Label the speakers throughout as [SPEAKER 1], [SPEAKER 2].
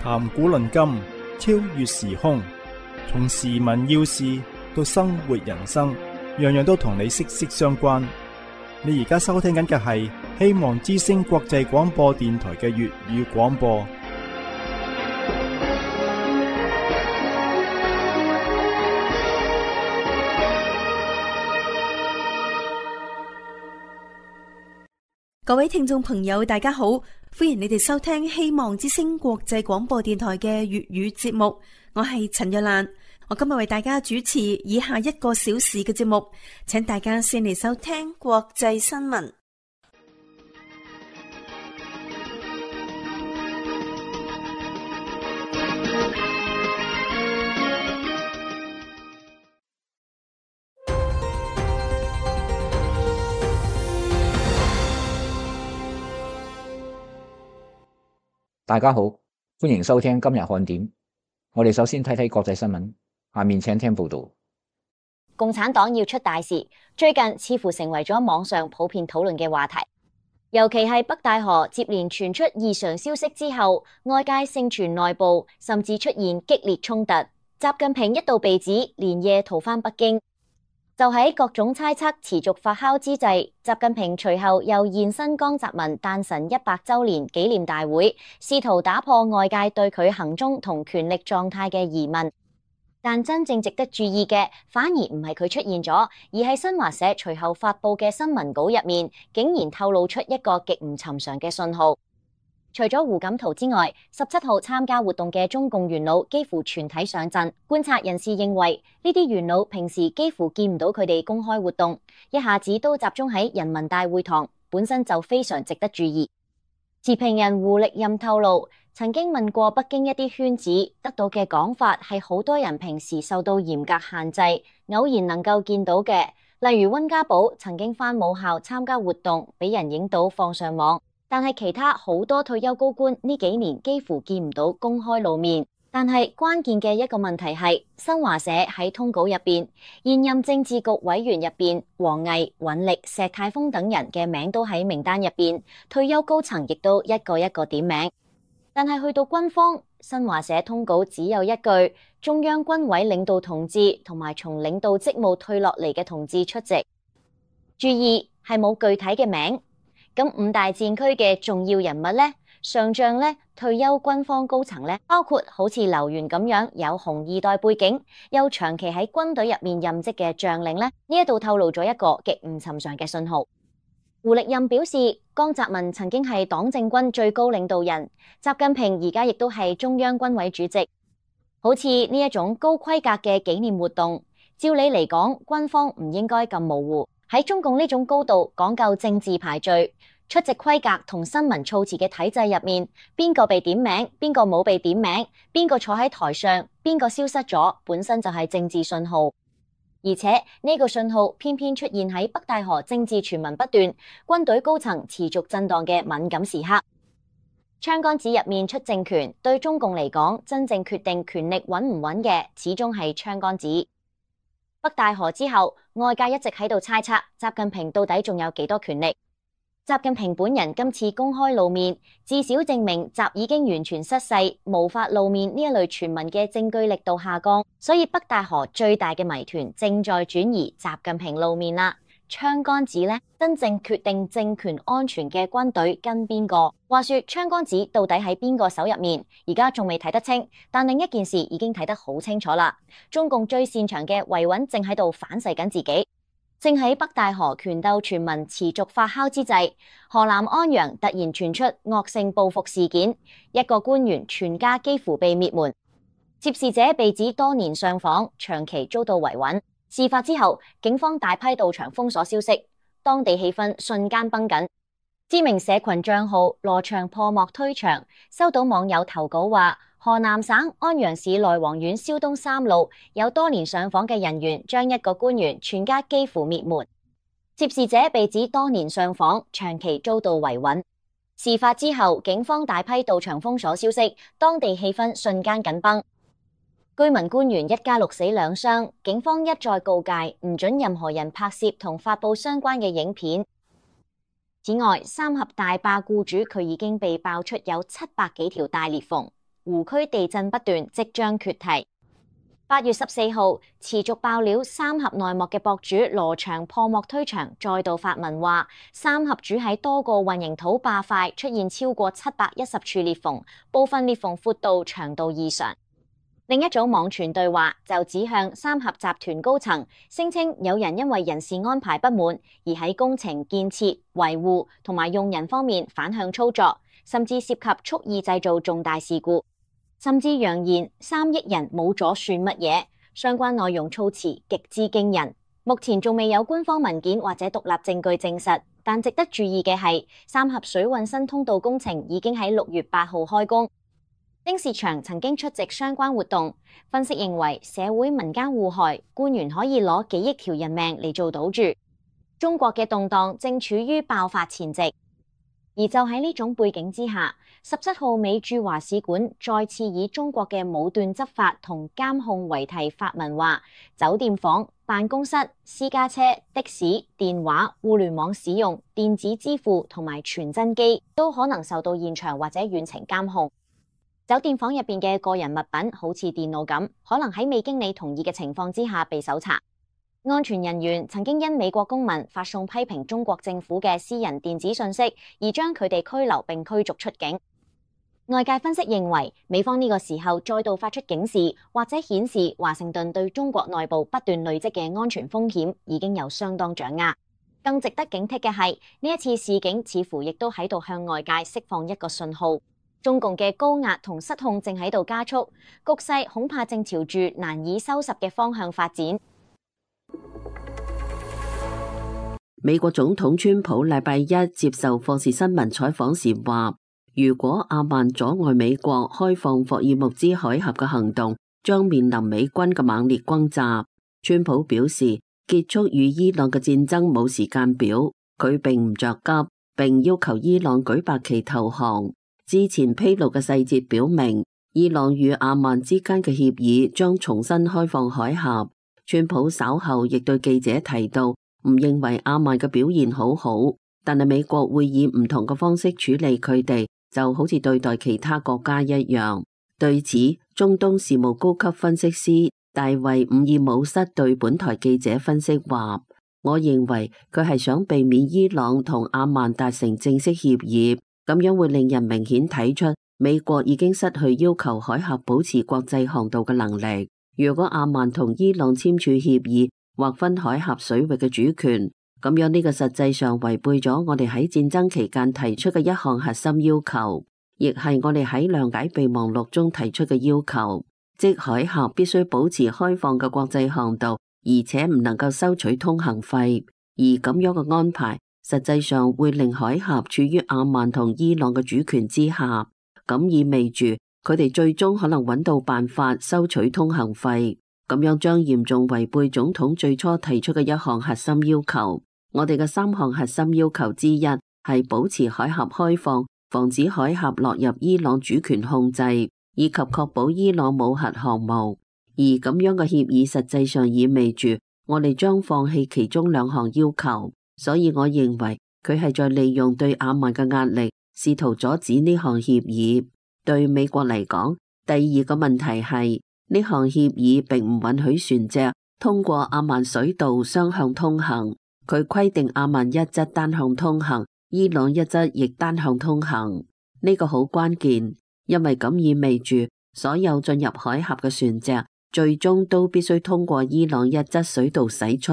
[SPEAKER 1] 談古論今，超越時空，從時聞要事到生活人生，樣樣都同你息息相關。你而家收聽緊嘅係希望之聲國際廣播電台嘅粵語廣播。
[SPEAKER 2] 各位聽眾朋友，大家好，歡迎你哋收聽希望之聲國際廣播電台嘅粵語節目。我係陳若蘭，我今日為大家主持以下1個小時嘅節目，請大家先嚟收聽國際新聞。
[SPEAKER 3] 大家好，歡迎收聽今日看點。我哋首先睇睇國際新聞，下面請聽報道。
[SPEAKER 4] 共產黨要出大事，最近似乎成為咗網上普遍討論嘅話題。尤其係北戴河接連傳出異常消息之後，外界盛傳內部甚至出現激烈衝突。習近平一度被指連夜逃返北京。就喺各種猜測持續發酵之際，習近平隨後又現身江澤民誕辰100週年紀念大會，試圖打破外界對佢行蹤同權力狀態嘅疑問。但真正值得注意嘅，反而唔係佢出現咗，而係新華社隨後發佈嘅新聞稿入面，竟然透露出一個極唔尋常嘅信號。除咗胡錦濤之外，17號參加活動嘅中共元老幾乎全體上陣。觀察人士認為，呢啲元老平時幾乎見唔到佢哋公開活動，一下子都集中喺人民大會堂，本身就非常值得注意。持平人胡力任透露，曾經問過北京一啲圈子，得到嘅講法係好多人平時受到嚴格限制，偶然能夠見到嘅，例如溫家寶曾經返母校參加活動，俾人影到放上網。但係其他好多退休高官呢幾年幾乎見唔到公開露面。但係關鍵嘅一個問題係，新華社喺通稿入邊，現任政治局委員入邊，王毅、尹力、石泰峰等人嘅名都喺名單入邊，退休高層亦都一個一個點名。但係去到軍方，新華社通稿只有一句：中央軍委領導同志同埋從領導職務退落嚟嘅同志出席。注意係冇具體嘅名。咁5大戰區嘅重要人物呢，上將呢，退休軍方高層呢，包括好似劉源咁樣有紅二代背景，又長期喺軍隊入面任職嘅將領呢，呢一度透露咗一個極唔尋常嘅信號。胡力任表示，江澤民曾經係黨政軍最高領導人，習近平而家亦都係中央軍委主席。好似呢一種高規格嘅紀念活動，照理嚟講，軍方唔應該咁模糊。喺中共呢種高度講究政治排序、出席規格同新聞措辭嘅體制入面，邊個被點名，邊個冇被點名，邊個坐喺台上，邊個消失咗，本身就係政治信號。而且呢個信號偏偏出現喺北戴河政治傳聞不斷、軍隊高層持續震盪嘅敏感時刻。槍桿子入面出政權，對中共嚟講，真正決定權力穩唔穩嘅，始終係槍桿子。北戴河之後，外界一直喺度猜測習近平到底仲有幾多權力。習近平本人今次公開露面，至少證明習已經完全失勢，無法露面呢一類傳聞嘅證據力度下降。所以北戴河最大嘅謎團正在轉移習近平露面啦。槍桿子呢，真正決定政權安全嘅軍隊跟邊個？話說槍桿子到底喺邊個手入面？而家仲未睇得清，但另一件事已經睇得好清楚啦。中共最擅長嘅維穩正喺度反噬緊自己。正喺北戴河權鬥傳聞持續發酵之際，河南安陽突然傳出惡性報復事件，一個官員全家幾乎被滅門，涉事者被指多年上訪，長期遭到維穩。事發之後，警方大批到場封鎖消息，當地氣氛瞬間繃緊。知名社群賬號羅祥破幕推牆，收到網友投稿話，河南省安陽市內黃縣蕭東3路有多年上訪嘅人員將一個官員全家幾乎滅門，涉事者被指多年上訪，長期遭到維穩。事發之後，警方大批到場封鎖消息，當地氣氛瞬間緊繃。居民官員一家6死2傷，警方一再告誡唔准任何人拍攝同發佈相關嘅影片。此外，三峽大壩僱主佢已經被爆出有700幾條大裂縫，湖區地震不斷，即將決堤。8月14號，持續爆料三峽內幕嘅博主羅翔破幕推牆，再度發文話三峽主喺多個混凝土壩塊出現超過710處裂縫，部分裂縫闊度長度異常。另一組網傳對話就指向三峽集團高層，聲稱有人因為人事安排不滿而喺工程建設、維護同埋用人方面反向操作，甚至涉及蓄意製造重大事故。甚至揚言3億人冇咗算乜嘢，相關內容措辭極之驚人。目前仲未有官方文件或者獨立證據證實，但值得注意嘅係，三峽水運新通道工程已經喺6月8號開工。丁薛祥曾經出席相關活動，分析認為社會民間互害，官員可以攞幾億條人命嚟做賭注。中國嘅動盪正處於爆發前夕。而就喺呢種背景之下，17號美駐華使館再次以中國嘅武斷執法同監控為題發文話，酒店房、辦公室、私家車、的士、電話、互聯網使用、電子支付同埋傳真機都可能受到現場或者遠程監控。酒店房入邊嘅個人物品好似電腦咁，可能喺未經你同意嘅情況之下被搜查。安全人員曾經因美國公民發送批評中國政府嘅私人電子信息，而將佢哋拘留並驅逐出境。外界分析認為，美方呢個時候再度發出警示，或者顯示華盛頓對中國內部不斷累積嘅安全風險已經有相當掌握。更值得警惕嘅係，呢一次示警似乎亦都喺度向外界釋放一個信號，中共嘅高壓同失控正喺度加速，局勢恐怕正朝住難以收拾嘅方向發展。
[SPEAKER 5] 美國總統川普禮拜一接受霍士新聞採訪時話，如果阿曼阻礙美國開放霍爾木茲海峽嘅行動，將面臨美軍嘅猛烈轟炸。川普表示，結束與伊朗嘅戰爭冇時間表，佢並唔着急，並要求伊朗舉白旗投降。之前披露嘅細節表明，伊朗與阿曼之間嘅協議將重新開放海峽。川普稍後亦對記者提到，唔認為阿曼嘅表現好好，但係美國會以唔同嘅方式處理佢哋，就好似對待其他國家一樣。對此，中東事務高級分析師大衛伍爾姆塞對本台記者分析話，我認為佢係想避免伊朗同阿曼達成正式協議，咁樣會令人明顯睇出美國已經失去要求海峽保持國際航道嘅能力。如果阿曼同伊朗簽署協議，劃分海峽水域嘅主權，咁樣呢個實際上違背咗我哋喺戰爭期間提出嘅一項核心要求，亦係我哋喺諒解備忘錄中提出嘅要求，即海峽必須保持開放嘅國際航道，而且唔能夠收取通行費。而咁樣嘅安排，實際上會令海峽處於阿曼同伊朗嘅主權之下，咁意味住佢哋最終可能揾到辦法收取通行費。咁樣將嚴重違背總統最初提出嘅一項核心要求。我哋嘅3項核心要求之一係保持海峽開放，防止海峽落入伊朗主權控制，以及確保伊朗冇核項目。而咁樣嘅協議實際上意味住我哋將放棄其中2項要求。所以我認為佢係在利用對阿曼嘅壓力，試圖阻止呢項協議。對美國嚟講，第二個問題係，呢項協議並唔允許船隻通過阿曼水道雙向通行，佢規定阿曼一側單向通行，伊朗一側亦單向通行。呢個好關鍵，因為咁意味住所有進入海峽嘅船隻最終都必須通過伊朗一側水道駛出，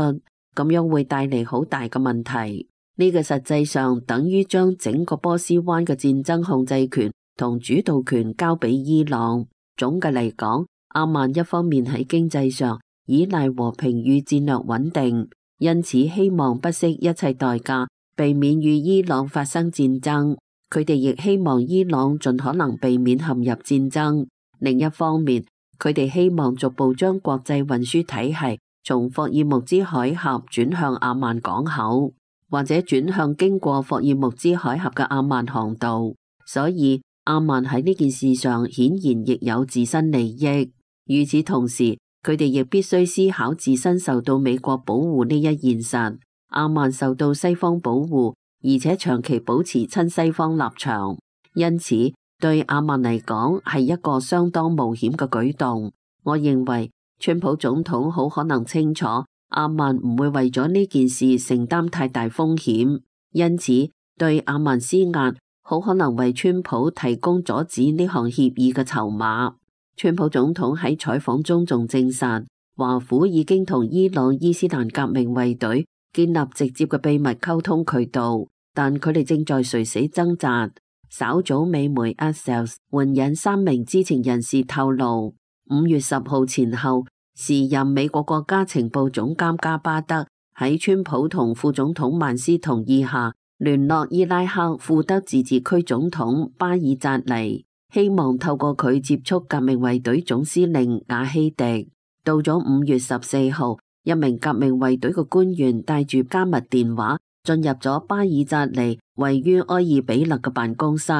[SPEAKER 5] 咁樣會帶嚟好大嘅問題。呢個實際上等於將整個波斯灣嘅戰爭控制權同主導權交俾伊朗。總嘅嚟講，阿曼一方面喺經濟上依賴和平與戰略穩定，因此希望不惜一切代價避免與伊朗發生戰爭。佢哋亦希望伊朗盡可能避免陷入戰爭。另一方面，佢哋希望逐步將國際運輸體系從霍爾木茲海峽轉向阿曼港口，或者轉向經過霍爾木茲海峽嘅阿曼航道。所以阿曼喺呢件事上顯然亦有自身利益。與此同時，佢哋亦必須思考自身受到美國保護呢一現實。阿曼受到西方保護，而且長期保持親西方立場，因此對阿曼嚟講係一個相當冒險嘅舉動。我認為川普總統好可能清楚阿曼唔會為咗呢件事承擔太大風險，因此對阿曼施壓好可能為川普提供阻止呢項協議嘅籌碼。川普總統喺採訪中仲證實，華府已經同伊朗伊斯蘭革命衛隊建立直接嘅秘密溝通渠道，但佢哋正在垂死掙扎。稍早美媒 Axios 援引3名知情人士透露，5月10號前後，時任美國國家情報總監加巴德喺川普同副總統曼斯同意下，聯絡伊拉克庫德自治區總統巴爾扎尼，希望透過佢接觸革命衛隊總司令瓦希迪。到咗5月14號，一名革命衛隊嘅官員帶住加密電話進入咗巴爾扎尼位於埃爾比勒嘅辦公室。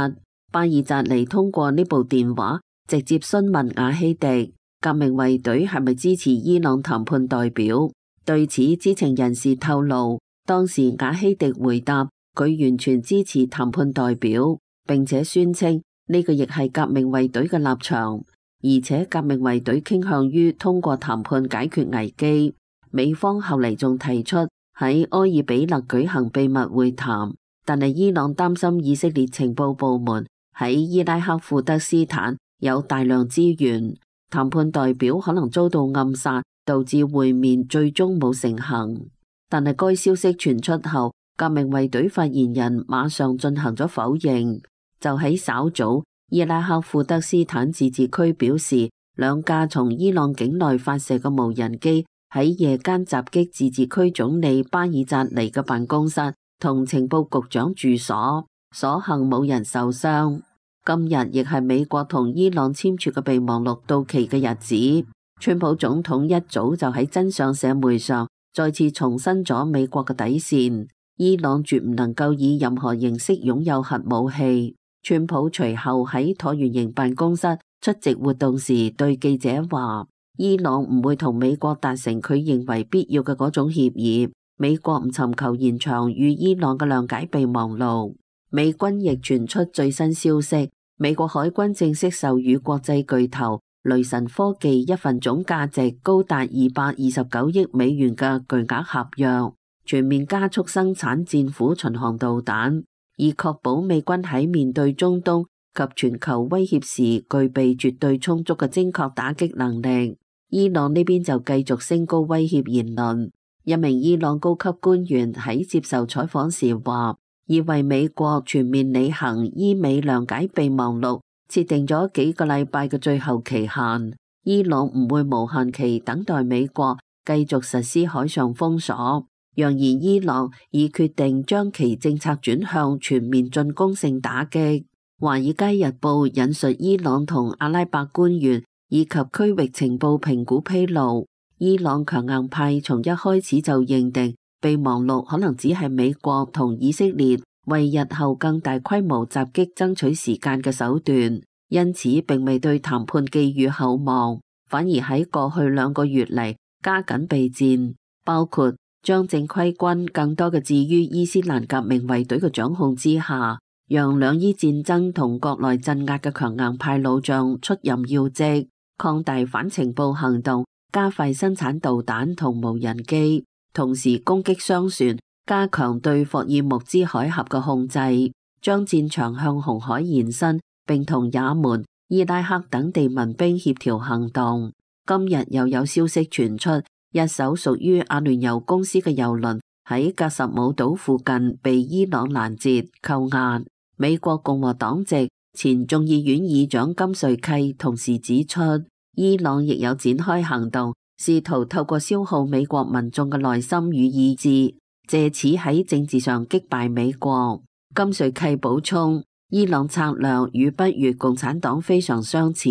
[SPEAKER 5] 巴爾扎尼通過呢部電話直接詢問瓦希迪，革命衛隊係咪支持伊朗談判代表？對此，知情人士透露，當時瓦希迪回答佢完全支持談判代表，並且宣稱呢個亦係革命衛隊嘅立場，而且革命衛隊傾向於通過談判解決危機。美方後嚟仲提出喺埃爾比勒舉行秘密會談，但係伊朗擔心以色列情報部門喺伊拉克庫德斯坦有大量資源，談判代表可能遭到暗殺，導致會面最終冇成行。但係該消息傳出後，革命衛隊發言人馬上進行咗否認。就喺稍早，伊拉克庫德斯坦自治區表示，2架從伊朗境內發射嘅無人機喺夜間襲擊自治區總理巴爾扎尼嘅辦公室同情報局長住所，所幸冇人受傷。今日亦係美國同伊朗簽署嘅備忘錄到期嘅日子。川普總統一早就喺真相社媒上再次重申咗美國嘅底線，伊朗絕唔能夠以任何形式擁有核武器。川普隨後喺橢圓形辦公室出席活動時對記者話，伊朗唔會同美國達成佢認為必要嘅嗰種協議，美國唔尋求延長與伊朗嘅諒解備忘錄。美軍亦傳出最新消息，美國海軍正式授予國際巨頭雷神科技一份總價值高達229億美元嘅巨額合約，全面加速生產戰斧巡航導彈，以確保美軍喺面對中東及全球威脅時具備絕對充足嘅精確打擊能力。伊朗呢邊就繼續升高威脅言論。一名伊朗高級官員喺接受採訪時話，已為美國全面履行伊美諒解備忘錄設定咗幾個禮拜嘅最後期限。伊朗唔會無限期等待美國繼續實施海上封鎖，揚言伊朗已決定將其政策轉向全面進攻性打擊。華爾街日報引述伊朗同阿拉伯官員以及區域情報評估披露，伊朗強硬派從一開始就認定備忘錄可能只係美國同以色列為日後更大規模襲擊爭取時間嘅手段，因此並未對談判寄予厚望，反而喺過去2個月嚟加緊備戰，包括將正規軍更多嘅置於伊斯蘭革命衛隊嘅掌控之下，讓兩伊戰爭同國內鎮壓嘅強硬派老將出任要職，擴大反情報行動，加快生產導彈同無人機，同時攻擊商船，加強對霍爾木茲海峽嘅控制，將戰場向紅海延伸，並同也門、伊拉克等地民兵協調行動。今日又有消息傳出，一艘屬於阿聯酋公司嘅郵輪喺格什姆島附近被伊朗攔截扣押。美國共和黨籍前眾議院議長金瑞契同時指出，伊朗亦有展開行動，試圖透過消耗美國民眾嘅耐心與意志，借此喺政治上擊敗美國。金瑞契補充，伊朗策略與北越共產黨非常相似，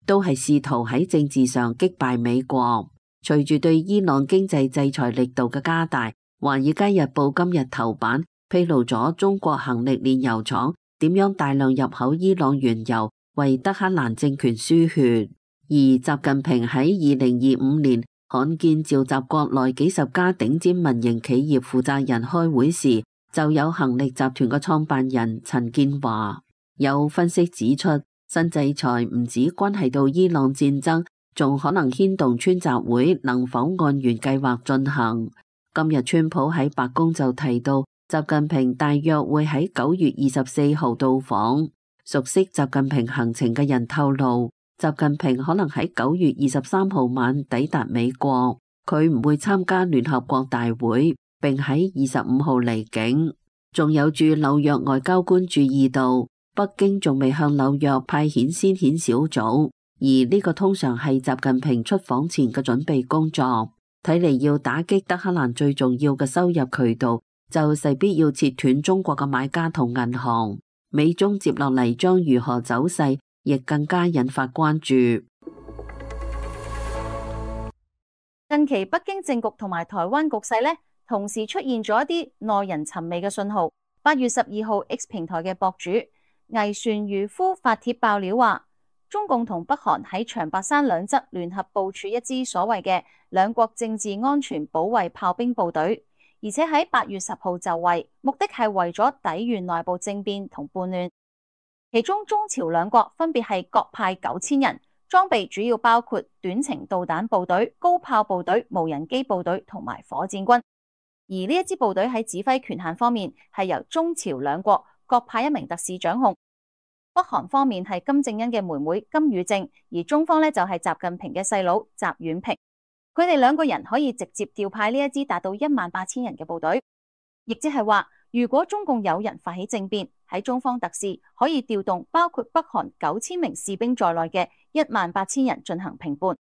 [SPEAKER 5] 都係試圖喺政治上擊敗美國。隨住對伊朗經濟制裁力度嘅加大，華爾街日報今日頭版披露咗中國恒力煉油廠點樣大量入口伊朗原油，為德黑蘭政權輸血。而習近平喺2025年罕見召集國內幾十家頂尖民營企業負責人開會時，就有恒力集團嘅創辦人陳建華。有分析指出，新制裁唔止關係到伊朗戰爭，仲可能牽動川習會能否按原計劃進行。今日川普喺白宮就提到，習近平大約會喺9月24號到訪。熟悉習近平行程嘅人透露，習近平可能喺9月23號晚抵達美國，佢唔會參加聯合國大會，並喺25號離境。仲有駐紐約外交官注意到，北京仲未向紐約派遣先遣小組，而呢個通常係習近平出訪前嘅準備工作。睇嚟要打擊德黑蘭最重要嘅收入渠道，就勢必要切斷中國嘅買家同銀行。美中接落嚟將如何走勢，亦更加引發關注。
[SPEAKER 2] 近期北京政局同埋台灣局勢呢，同時出現咗一啲耐人尋味嘅信號。8月12號 X 平台嘅博主魏船漁夫發帖爆料話，中共同北韓喺長白山兩側聯合部署一支所謂嘅兩國政治安全保衛炮兵部隊，而且喺8月10號就位，目的係為咗抵禦內部政變同叛亂。其中中朝兩國分別係各派9000人，裝備主要包括短程導彈部隊、高炮部隊、無人機部隊同埋火箭軍。而呢一支部隊喺指揮權限方面係由中朝兩國各派一名特使掌控。北韓方面係金正恩嘅妹妹金與正，而中方呢就係習近平嘅細佬習遠平。佢哋兩個人可以直接調派呢一支達到18000人嘅部隊，亦即係話，如果中共有人發起政變，喺中方特使可以調動包括北韓9000名士兵在內嘅18000人進行平叛。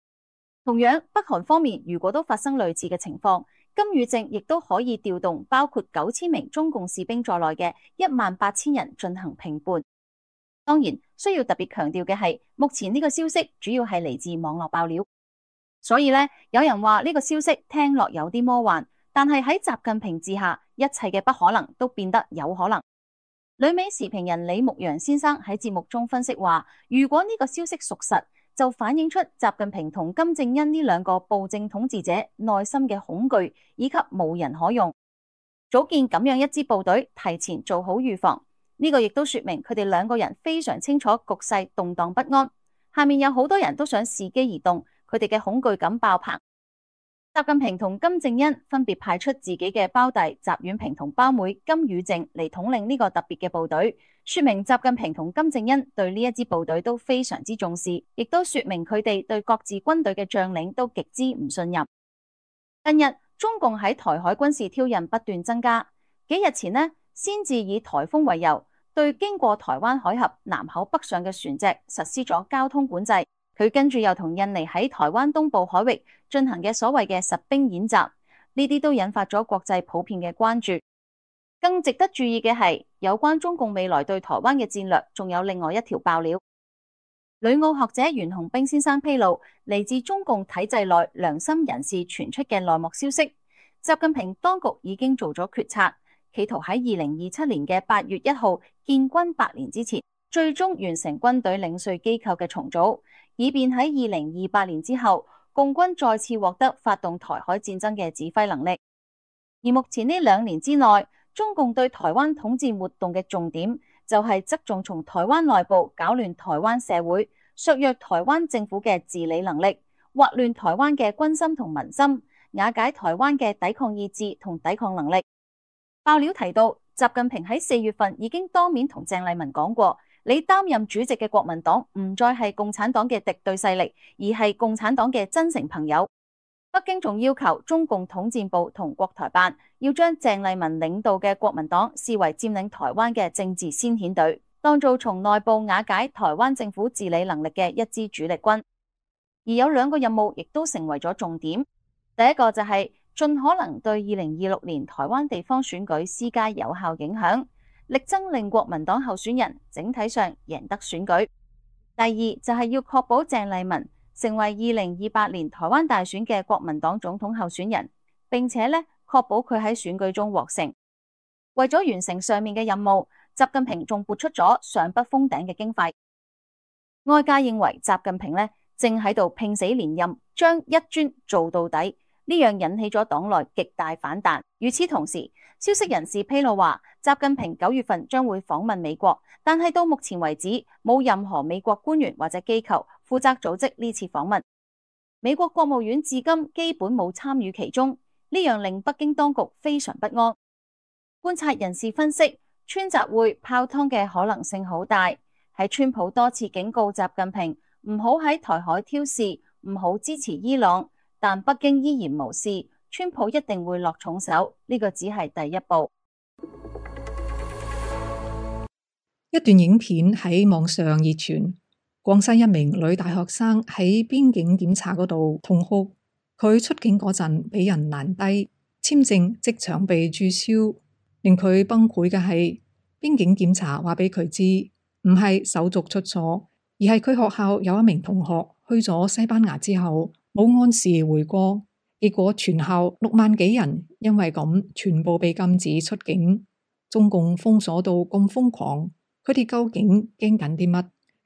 [SPEAKER 2] 同樣，北韓方面如果都發生類似嘅情況，金與正亦都可以調動包括9000名中共士兵在內嘅18000人進行平叛。當然，需要特別強調嘅係，目前呢個消息主要係嚟自網絡爆料，所以呢，有人話呢個消息聽落有啲魔幻，但係喺習近平治下，一切嘅不可能都變得有可能。旅美時評人李牧陽先生喺節目中分析話，如果呢個消息屬實，就反映出習近平同金正恩呢兩個暴政統治者內心嘅恐懼以及無人可用，組建咁樣一支部隊，提前做好預防。呢個亦都說明佢哋兩個人非常清楚局勢動盪不安，下面有好多人都想伺機而動，佢哋嘅恐懼感爆棚。習近平同金正恩分別派出自己嘅胞弟習遠平同胞妹金與正嚟統領呢個特別嘅部隊，說明習近平同金正恩對呢一支部隊都非常之重視，亦都說明佢哋對各自軍隊嘅將領都極之唔信任。近日中共喺台海軍事挑釁不斷增加，幾日前呢，先至以颱風為由，對經過台灣海峽南口北上嘅船隻實施咗交通管制。佢跟住又同印尼喺台灣東部海域進行嘅所謂嘅實兵演習，呢啲都引發咗國際普遍嘅關注。更值得注意嘅係，有關中共未來對台灣嘅戰略，仲有另外一條爆料。旅澳學者袁洪兵先生披露，嚟自中共體制內良心人士傳出嘅內幕消息，習近平當局已經做咗決策，企圖喺2027年嘅8月1號建軍100年之前，最終完成軍隊領稅機構嘅重組，以便喺2028年之後，共軍再次獲得發動台海戰爭嘅指揮能力。而目前呢2年之內，中共對台灣統戰活動嘅重點就係側重從台灣內部搞亂台灣社會，削弱台灣政府嘅治理能力，劃亂台灣嘅軍心同民心，瓦解台灣嘅抵抗意志同抵抗能力。爆料提到，習近平喺4月份已經當面同鄭麗文講過，你擔任主席嘅國民黨唔再係共產黨嘅敵對勢力，而係共產黨嘅真誠朋友。北京仲要求中共統戰部同國台辦要將鄭麗文領導嘅國民黨視為佔領台灣嘅政治先遣隊，當做從內部瓦解台灣政府治理能力嘅一支主力軍。而有2個任務亦都成為咗重點，第一個就係盡可能對2026年台灣地方選舉施加有效影響，力爭令國民黨候選人整體上贏得選舉。第二就係要確保鄭麗文成為2028年台灣大選嘅國民黨總統候選人，並且確保佢喺選舉中獲勝。為咗完成上面嘅任務，習近平仲撥出咗上不封頂嘅經費。外界認為習近平正喺度拼死連任，將一專做到底。
[SPEAKER 6] 呢樣引起咗黨內極大反彈。與此同時，消息人士披露話，習近平9月份將會訪問美國，但係到目前為止冇任何美國官員或者機構負責組織呢次訪問。美國國務院至今基本冇參與其中，呢樣令北京當局非常不安。觀察人士分析，川習會泡湯嘅可能性好大。喺川普多次警告習近平唔好喺台海挑事，唔好支持伊朗，但北京依然無視，川普一定會落重手，呢個只係第一步。
[SPEAKER 7] 一段影片喺網上熱傳，廣西一名女大學生喺邊境檢查嗰度痛哭，佢出境嗰陣俾人攔低，簽證即場被註銷。令佢崩潰嘅係，邊境檢查話俾佢知，唔係手續出錯，而係佢學校有一名同學去咗西班牙之後冇按時回國，結果全校6萬幾人因為咁全部被禁止出境。中共封鎖到咁瘋狂，佢哋究竟驚緊啲乜？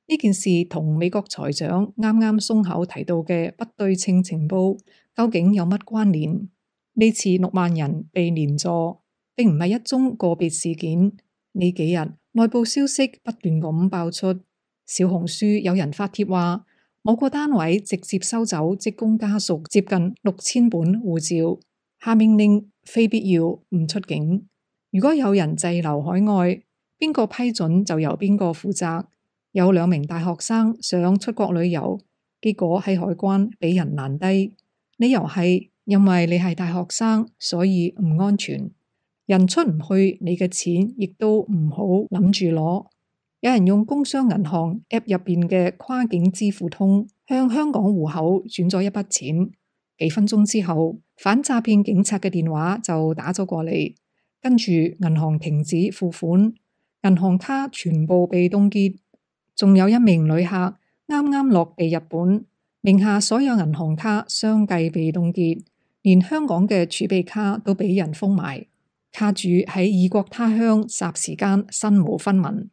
[SPEAKER 7] 呢件事同美國財長啱啱鬆口提到嘅不對稱情報究竟有乜關聯？呢次6萬人被連坐，並唔係一宗個別事件。呢幾日內部消息不斷咁爆出，小紅書有人發帖話，某個單位直接收走職工家屬接近6000本護照，下命令非必要唔出境。如果有人滯留海外，邊個批准就由邊個負責。有2名大學生想出國旅遊，結果喺海關俾人攔低，理由係因為你係大學生，所以唔安全。人出唔去，你嘅錢亦都唔好諗住攞。有人用工商銀行 App 入邊嘅跨境支付通向香港戶口轉咗一筆錢，幾分鐘之後，反詐騙警察嘅電話就打咗過嚟，跟住銀行停止付款，銀行卡全部被凍結。仲有1名旅客啱啱落地日本，名下所有銀行卡相繼被凍結，連香港嘅儲備卡都俾人封埋。卡主喺異國他鄉霎時間身無分文。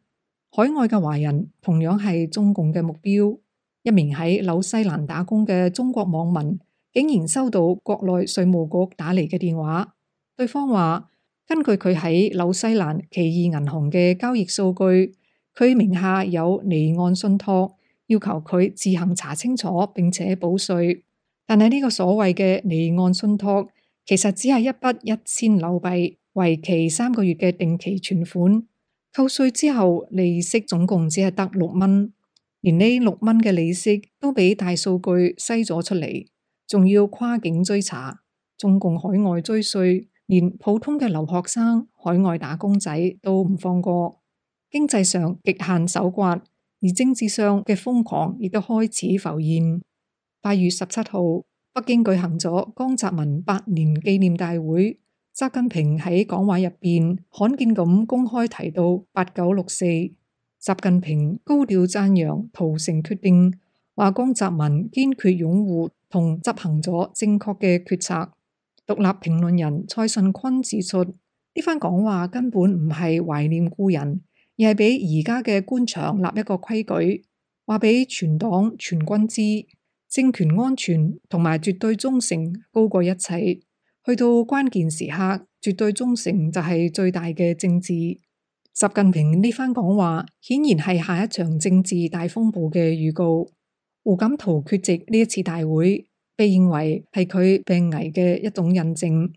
[SPEAKER 7] 海外嘅華人同樣係中共嘅目標。一名喺紐西蘭打工嘅中國網民竟然收到國內稅務局打嚟嘅電話，對方話根據佢喺紐西蘭奇異銀行嘅交易數據，佢名下有離岸信託，要求佢自行查清楚並且補稅。但係呢個所謂嘅離岸信託其實只係一筆1000紐幣，為期3個月嘅定期存款，扣稅之後利息總共只係得6蚊，連呢6蚊嘅利息都俾大數據篩咗出嚟，仲要跨境追查。中共海外追稅，連普通嘅留學生、海外打工仔都唔放過。經濟上極限手刮，而政治上嘅瘋狂亦都開始浮現。8月17號，北京舉行咗江澤民100年紀念大會。習近平喺講話入邊罕見咁公開提到8964。習近平高調讚揚屠城決定，話江澤民堅決擁護同執行咗正確嘅決策。獨立評論人蔡順坤指出，呢番講話根本唔係懷念故人，而係俾而家嘅官場立一個規矩，話俾全黨全軍知，政權安全同埋絕對忠誠高過一切。去到關鍵時刻，絕對忠誠就係最大嘅政治。習近平呢番講話顯然係下一場政治大風暴嘅預告。胡錦濤缺席呢一次大會，被認為係佢病危嘅一種印證。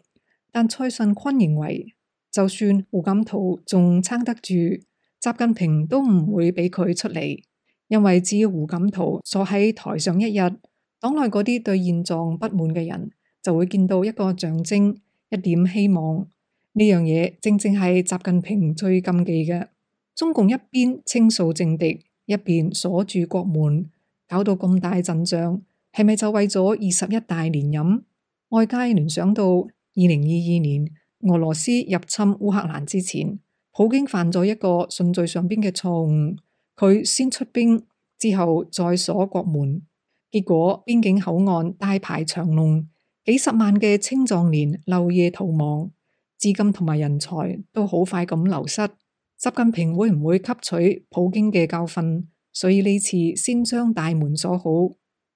[SPEAKER 7] 但蔡順坤認為，就算胡錦濤仲撐得住，習近平都唔會俾佢出嚟，因為只要胡錦濤坐喺台上一日，黨內嗰啲對現狀不滿嘅人就會見到一個象徵，一點希望。呢樣嘢正正係習近平最禁忌嘅。中共一邊清掃政敵，一邊鎖住國門，搞到咁大陣仗，係咪就為咗21大連任？外界聯想到2022年俄羅斯入侵烏克蘭之前，普京犯咗一個順序上邊嘅錯誤，佢先出兵，之後再鎖國門，結果邊境口岸大排長龍，幾十萬嘅青壯年漏夜逃亡，資金同埋人才都好快咁流失。習近平會唔會吸取普京嘅教訓？所以呢次先將大門鎖好。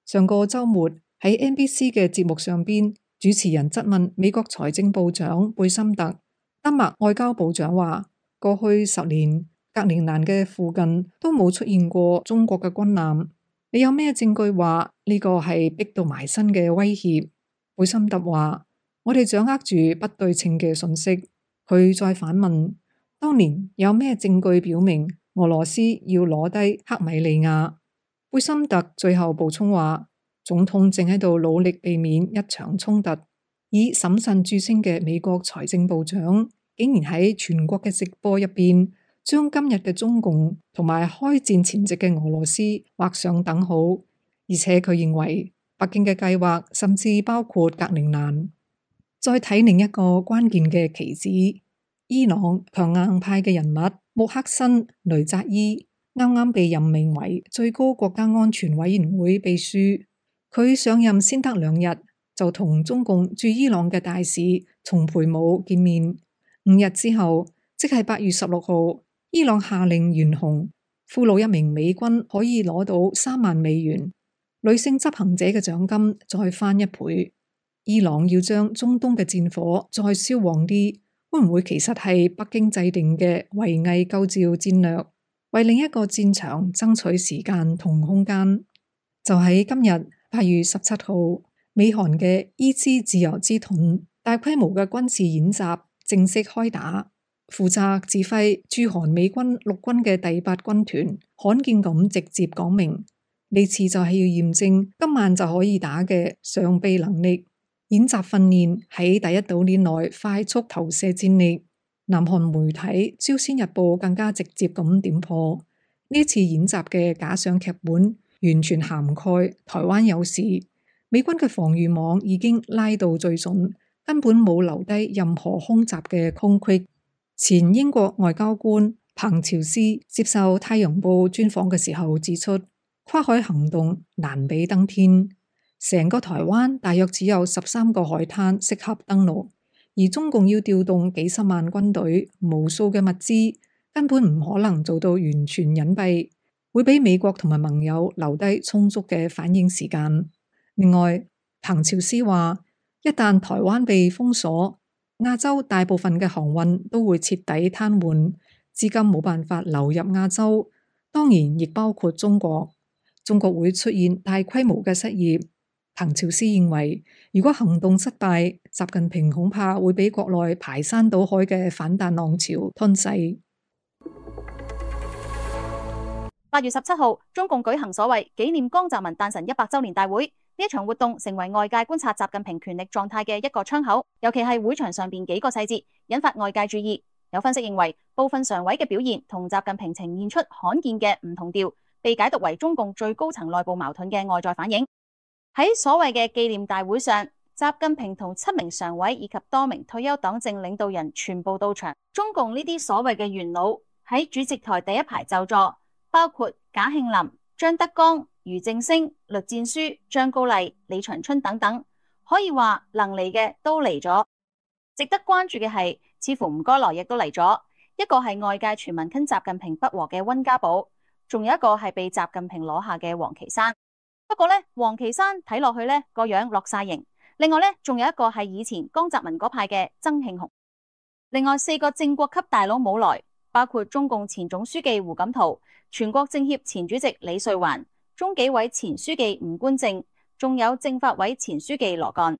[SPEAKER 7] 上個周末喺 NBC 嘅節目上邊，主持人質問美國財政部長貝森特，丹麥外交部長話：過去10年，格陵蘭嘅附近都冇出現過中國嘅軍艦。你有咩證據話呢個係逼到埋身嘅威脅？貝森特話：我哋掌握住不對稱嘅信息。佢再反問：當年有咩證據表明俄羅斯要攞低克米利亞？貝森特最後補充話：總統正喺度努力避免一場衝突。以審慎著稱嘅美國財政部長竟然喺全國嘅直播入邊，將今日嘅中共同埋開戰前夕嘅俄羅斯畫上等號，而且佢認為北京嘅計劃甚至包括格陵蘭。再睇另一個關鍵嘅棋子，伊朗強硬派嘅人物穆克辛雷扎伊啱啱被任命為最高國家安全委員會秘書。佢上任先得2日，就同中共駐伊朗嘅大使松培武見面。5日之後，即係8月16號，伊朗下令懸紅，俘虜1名美軍可以攞到3萬美元，女性執行者嘅獎金再翻1倍。伊朗要將中東嘅戰火再燒旺啲，會唔會其實係北京制定嘅圍魏救趙戰略，為另一個戰場爭取時間同空間？就喺今日8月17號，美韓嘅伊茲自由之盾大規模嘅軍事演習正式開打。負責指揮駐韓美軍陸軍嘅第8軍團罕見咁直接講明，呢次就係要驗證今晚就可以打嘅上臂能力。演習訓練喺第一島鏈內快速投射戰力。南韓媒體朝鮮日報更加直接咁點破，呢次演習嘅假想劇本完全涵蓋台灣有事，美軍嘅防禦網已經拉到最盡，根本冇留低任何空襲嘅空隙。前英國外交官彭朝思接受太陽報專訪嘅時候指出，跨海行動難比登天，成個台灣大約只有13個海灘適合登陸，而中共要調動幾十萬軍隊、無數嘅物資，根本唔可能做到完全隱蔽，會俾美國同埋盟友留低充足嘅反應時間。另外，彭朝思話，一旦台灣被封鎖，亞洲大部分嘅航運都會徹底癱瘓，資金冇辦法流入亞洲，當然亦包括中國。中國會出現大規模嘅失業。彭朝思認為，如果行動失敗，習近平恐怕會俾國內排山倒海嘅反彈浪潮吞噬。
[SPEAKER 6] 8月17號，中共舉行所謂紀念江澤民誕辰100週年大會。呢一場活動成為外界觀察習近平權力狀態嘅一個窗口，尤其係會場上邊幾個細節，引發外界注意。有分析認為，部分常委嘅表現同習近平呈現出罕見嘅唔同調，被解讀為中共最高層內部矛盾嘅外在反映。喺所謂嘅紀念大會上，習近平同7名常委以及多名退休黨政領導人全部到場。中共呢啲所謂嘅元老喺主席台第一排就座，包括賈慶林、張德江、俞正聲、栗戰書、張高麗、李長春等等，可以話能嚟嘅都嚟咗。值得關注嘅係，似乎唔該來亦都嚟咗。一個係外界傳聞跟習近平不和嘅溫家寶，仲有一個係被習近平攞下嘅王岐山。不過呢，王岐山睇落去呢個樣落晒型。另外呢，仲有一個係以前江澤民嗰派嘅曾慶紅。另外4個正國級大佬冇來，包括中共前總書記胡錦濤、全國政協前主席李瑞環、中紀委前書記吳官正，仲有政法委前書記羅幹。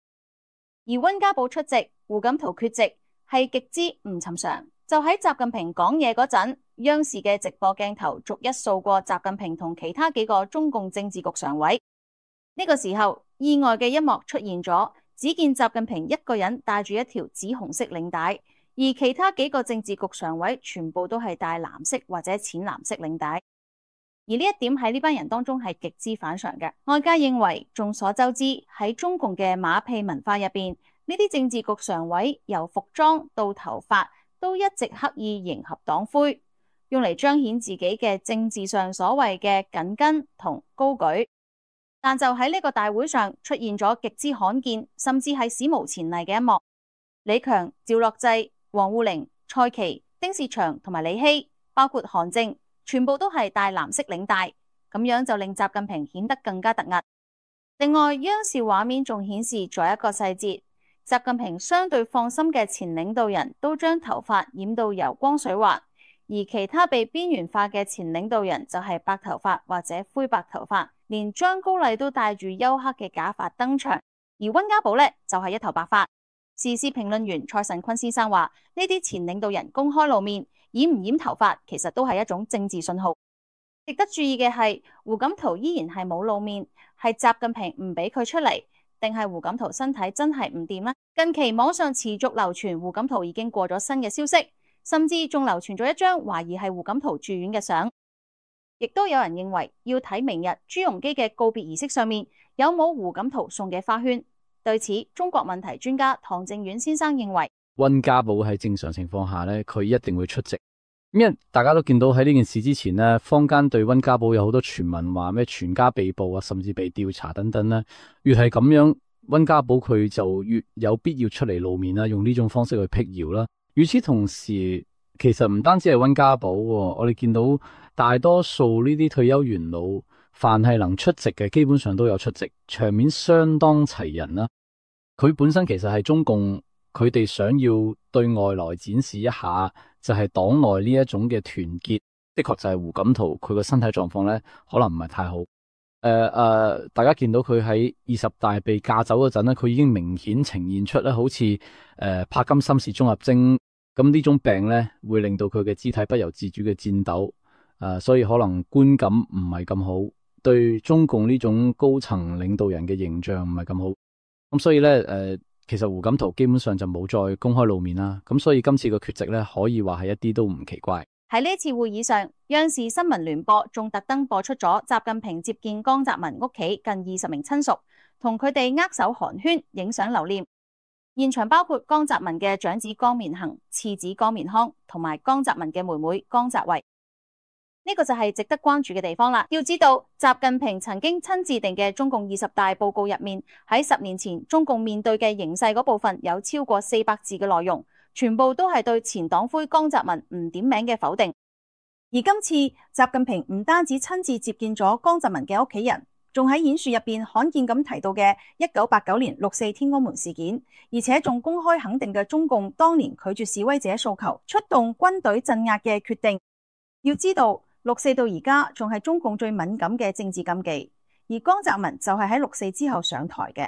[SPEAKER 6] 而溫家寶出席，胡錦濤缺席，係極之唔尋常。就喺習近平講嘢嗰陣，央視嘅直播鏡頭逐一掃過習近平同其他幾個中共政治局常委。呢個時候，意外嘅一幕出現咗，只見習近平一個人帶住一條紫紅色領帶，而其他幾個政治局常委全部都係帶藍色或者淺藍色領帶。而呢一點喺呢班人當中係極之反常嘅。外界認為，眾所周知喺中共嘅馬屁文化入邊，呢啲政治局常委由服裝到頭髮都一直刻意迎合黨徽，用嚟彰顯自己嘅政治上所謂嘅緊跟同高舉。但就喺呢個大會上出現咗極之罕見，甚至係史無前例嘅一幕。李強、趙樂際、王滬寧、蔡奇、丁薛祥同埋李希，包括韓正，全部都係帶藍色領帶，咁樣就令習近平顯得更加突兀。另外，央視畫面仲顯示咗一個細節，習近平相對放心嘅前領導人都將頭髮染到油光水滑，而其他被邊緣化嘅前領導人就係白頭髮或者灰白頭髮，連張高麗都戴住黝黑嘅假髮登場，而溫家寶呢，就係一頭白髮。時事評論員蔡慎坤先生話：呢啲前領導人公開露面，染唔染頭髮其實都係一種政治信號。值得注意嘅係，胡錦濤依然係冇露面，係習近平唔俾佢出嚟，定係胡錦濤身體真係唔掂呢？近期網上持續流傳胡錦濤已經過咗身嘅消息，甚至仲流傳咗一張懷疑係胡錦濤住院嘅相。亦都有人認為要睇明日朱鎔基嘅告別儀式上面有冇胡錦濤送嘅花圈。對此，中國問題專家唐正遠先生認為，
[SPEAKER 8] 溫家寶喺正常情況下呢，佢一定會出席。因為大家都見到喺呢件事之前呢，坊間對溫家寶有好多傳聞，話咩全家被捕啊，甚至被調查等等呢。越係咁樣，溫家寶佢就越有必要出嚟露面啦，用呢種方式去辟謠啦。與此同時，其實唔單止係溫家寶，我哋見到大多數呢啲退休元老，凡係能出席嘅，基本上都有出席，場面相當齊人啦。佢本身其實係中共，佢哋想要對外來展示一下，就係黨內呢一種嘅團結。的確就係胡錦濤佢個身體狀況咧，可能唔係太好。大家見到佢喺20大被架走嗰陣咧，佢已經明顯呈現出咧，好似帕金森氏綜合徵咁呢種病咧，會令到佢嘅肢體不由自主嘅顫抖。所以可能觀感唔係咁好，對中共呢種高層領導人嘅形象唔係咁好。咁所以咧，其實胡錦濤基本上就冇再公開露面啦。咁所以今次嘅缺席咧，可以話係一啲都唔奇怪。
[SPEAKER 6] 喺呢次會議上，央視新聞聯播仲特登播出咗習近平接見江澤民屋企近20名親屬，同佢哋握手寒暄、影相留念。現場包括江澤民嘅長子江綿恒、次子江綿康，同埋江澤民嘅妹妹江澤維。呢個就係值得關注嘅地方啦。要知道，習近平曾經親自定嘅中共20大報告入面，喺10年前中共面對嘅形勢嗰部分有超過400字嘅內容，全部都係對前黨魁江澤民唔點名嘅否定。而今次習近平唔單止親自接見咗江澤民嘅屋企人，仲喺演說入邊罕見咁提到嘅1989年6·4天安門事件，而且仲公開肯定嘅中共當年拒絕示威者訴求、出動軍隊鎮壓嘅決定。要知道，6·4到而家仲係中共最敏感嘅政治禁忌，而江澤民就係喺6·4之後上台嘅。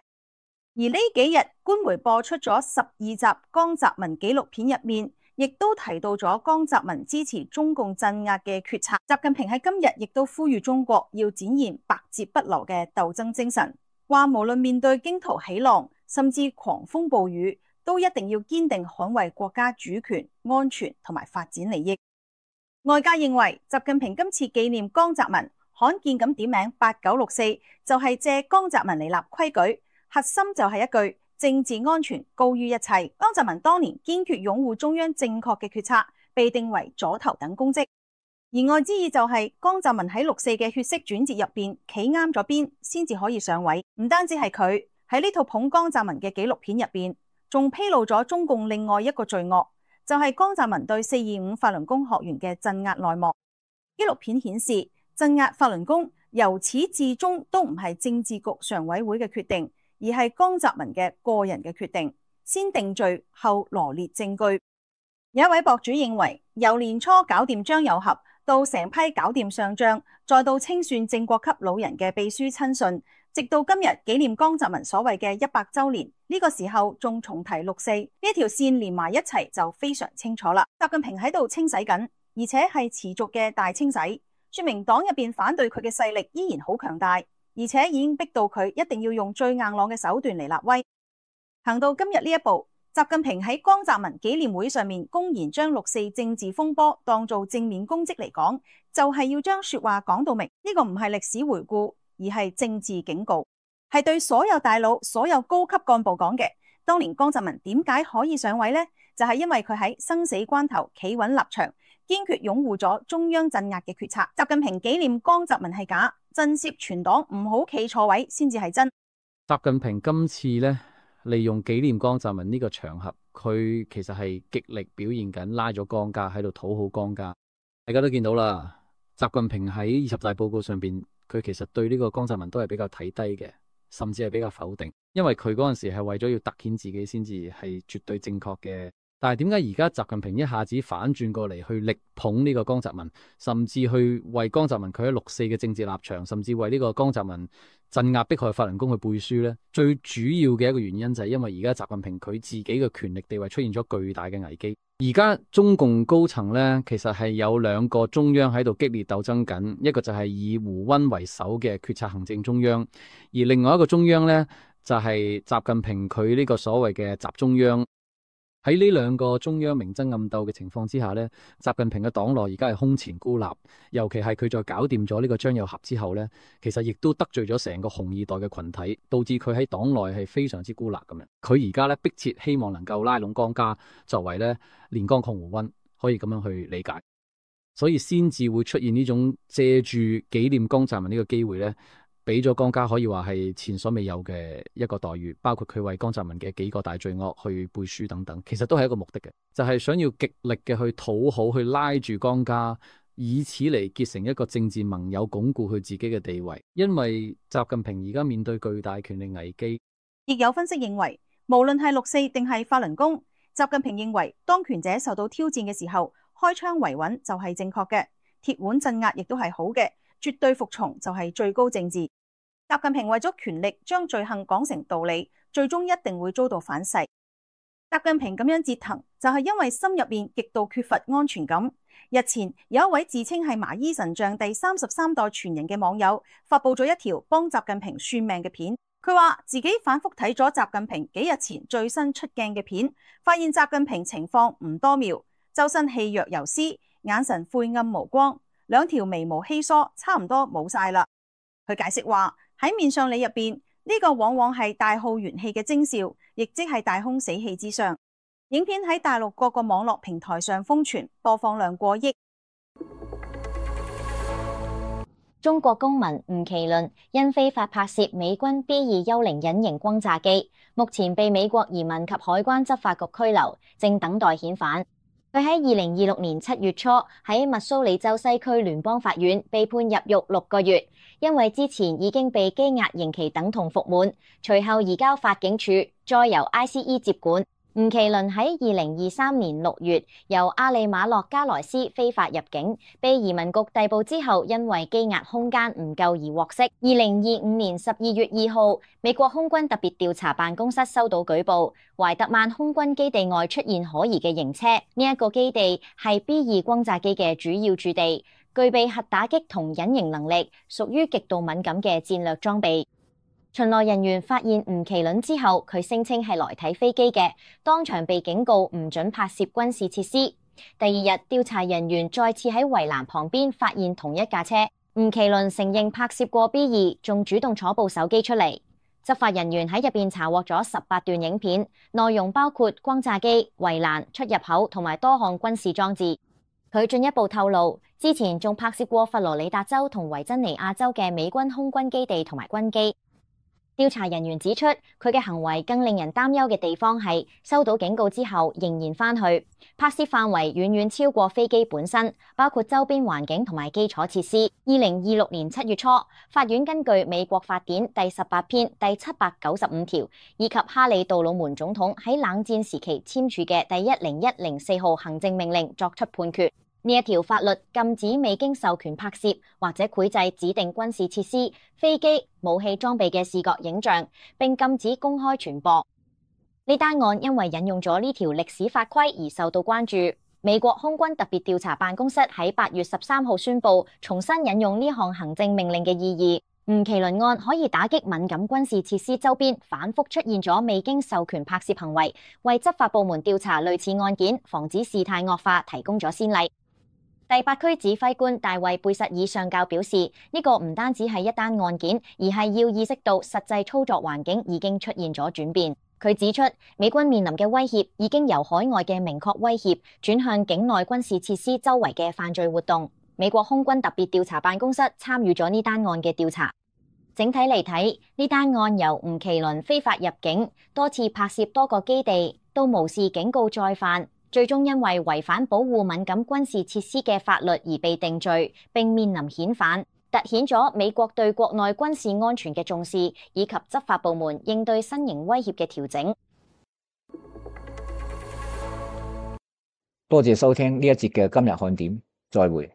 [SPEAKER 6] 而呢幾日官媒播出咗12集江澤民紀錄片入面，亦都提到咗江澤民支持中共鎮壓嘅決策。習近平喺今日亦都呼籲中國要展現百折不撓嘅鬥爭精神，話無論面對驚濤起浪，甚至狂風暴雨，都一定要堅定捍衛國家主權、安全同埋發展利益。外界認為習近平今次紀念江澤民，罕見咁點名8964，就係借江澤民嚟立規矩，核心就係一句政治安全高於一切。江澤民當年堅決擁護中央正確嘅決策，被定為左頭等公職。言外之意就係江澤民喺6·4嘅血色轉折入邊企啱咗邊，先至可以上位。唔單止係佢喺呢套捧江澤民嘅紀錄片入邊，仲披露咗中共另外一個罪惡，就係江澤民對425法輪功學員嘅鎮壓內幕。紀錄片顯示，鎮壓法輪功由始至終都唔係政治局常委會嘅決定，而係江澤民嘅個人嘅決定，先定罪後羅列證據。有一位博主認為，由年初搞掂張友合，到成批搞掂上將，再到清算正國級老人嘅秘書親信，直到今日紀念江澤民所謂嘅100週年，呢個時候仲重提6·4，呢條線連埋一齊就非常清楚啦。習近平喺度清洗緊，而且係持續嘅大清洗，說明黨入邊反對佢嘅勢力依然好強大，而且已經逼到佢一定要用最硬朗嘅手段嚟立威。行到今日呢一步，習近平喺江澤民紀念會上面公然將6·4政治風波當做正面攻擊嚟講，就係要將說話講到明。呢個唔係歷史回顧，而係政治警告，係對所有大佬、所有高級幹部講嘅。當年江澤民點解可以上位呢？就係因為佢喺生死關頭企穩立場，堅決擁護咗中央鎮壓嘅決策。習近平紀念江澤民係假，震懾全黨唔好企錯位先至係真。
[SPEAKER 8] 習近平今次呢，利用紀念江澤民呢個場合，佢其實係極力表現緊拉咗江家喺度討好江家。大家都見到啦，習近平喺20大報告上邊，佢其實對呢個江澤民都係比較睇低嘅，甚至係比較否定，因為佢嗰陣時係為咗要突顯自己先至係絕對正確嘅。但係點解而家習近平一下子反轉過嚟去力捧呢個江澤民，甚至去為江澤民佢喺六四嘅政治立場，甚至為呢個江澤民鎮壓迫害法輪功去背書呢？最主要嘅一個原因就係因為而家習近平佢自己嘅權力地位出現咗巨大嘅危機。而家中共高層呢，其實係有兩個中央喺度激烈鬥爭緊，一個就係以胡溫為首嘅決策行政中央，而另外一個中央呢，就係習近平佢呢個所謂嘅習中央。喺呢兩個中央明爭暗鬥嘅情況之下呢，習近平嘅黨內而家係空前孤立，尤其係佢再搞掂咗呢個張又俠之後呢，其實亦都得罪咗成個紅二代嘅群體，導致佢喺黨內係非常之孤立咁樣。佢而家呢，迫切希望能夠拉攏江家，作為呢連江抗胡溫，可以咁樣去理解，所以先至會出現呢種借住紀念江澤民呢個機會呢，俾咗江家可以話係前所未有嘅一個待遇，包括佢為江澤民嘅幾個大罪惡去背書等等，其實都係一個目的嘅，就係想要極力嘅去討好，去拉住江家，以此嚟結成一個政治盟友，鞏固佢自己嘅地位。因為習近平而家面對巨大權力危機，
[SPEAKER 6] 亦有分析認為，無論係六四定係法輪功，習近平認為當權者受到挑戰嘅時候，開槍維穩就係正確嘅，鐵腕鎮壓亦都係好嘅。絕對服從就係最高政治。習近平為咗權力將罪行講成道理，最終一定會遭到反噬。習近平咁樣折騰，就係因為心入邊極度缺乏安全感。日前有一位自稱係麻衣神像第33代傳人嘅網友發佈咗一條幫習近平算命嘅片。佢話自己反覆睇咗習近平幾日前最新出鏡嘅片，發現習近平情況唔多妙，周身氣若游絲，眼神晦暗無光，兩條眉毛稀疏，差唔多冇晒啦。佢解釋話喺面相理入邊，呢個往往係大耗元氣嘅徵兆，亦即係大空死氣之相。影片喺大陸各個網絡平台上瘋傳，播放量過億。
[SPEAKER 4] 中國公民吳麒麟因非法拍攝美軍 B2 幽靈隱形轟炸機，目前被美國移民及海關執法局拘留，正等待遣返。佢喺2026年7月初喺密蘇里州西區聯邦法院被判入獄6個月，因為之前已經被羈押刑期等同服滿，隨後移交法警署，再由 ICE 接管。吳麒麟喺2023年6月由阿里馬洛加萊斯非法入境，被移民局逮捕之後，因為羈押空間唔夠而獲釋。2025年12月2號，美國空軍特別調查辦公室收到舉報，懷特曼空軍基地外出現可疑嘅型車，呢一個基地係 B2 轟炸機嘅主要駐地，具備核打擊同隱形能力，屬於極度敏感嘅戰略裝備。巡邏人員發現吳麒麟之後，佢聲稱係來睇飛機嘅，當場被警告唔准拍攝軍事設施。第二日，調查人員再次喺圍欄旁邊發現同一架車，吳麒麟承認拍攝過 B2，仲主動攞部手機出嚟。執法人員喺入邊查獲咗18段影片，內容包括轟炸機、圍欄、出入口同埋多項軍事裝置。佢進一步透露，之前仲拍攝過佛羅里達州同維珍尼亞州嘅美軍空軍基地同埋軍機。調查人員指出，佢嘅行為更令人擔憂嘅地方係收到警告之後仍然返去，拍攝範圍遠遠超過飛機本身，包括周邊環境同埋基礎設施。2026年7月初，法院根據美國法典第18篇第795條以及哈里杜魯門總統喺冷戰時期簽署嘅第10104號行政命令作出判決。呢一條法律禁止未經授權拍攝或者繪製指定軍事設施、飛機、武器裝備嘅視覺影像，並禁止公開傳播。呢單案因為引用咗呢條歷史法規而受到關注。美國空軍特別調查辦公室喺8月13號宣布，重新引用呢項行政命令嘅意義。吳麒麟案可以打擊敏感軍事設施周邊反覆出現咗未經授權拍攝行為，為執法部門調查類似案件、防止事態惡化提供咗先例。第8區指揮官大衛貝實爾上校表示，呢個唔單止係一單案件，而係要意識到實際操作環境已經出現咗轉變。佢指出，美軍面臨嘅威脅已經由海外嘅明確威脅轉向境內軍事設施周圍嘅犯罪活動。美國空軍特別調查辦公室參與咗呢單案嘅調查。整體嚟睇，呢單案由吳麒麟非法入境、多次拍攝多個基地，到無視警告再犯，最終因為違反保護敏感軍事設施嘅法律而被定罪，並面臨遣返。凸顯咗美國對國內軍事安全嘅重視，以及執法部門應對新型威脅嘅調整。
[SPEAKER 3] 多謝收聽呢一節嘅今日看點，再會。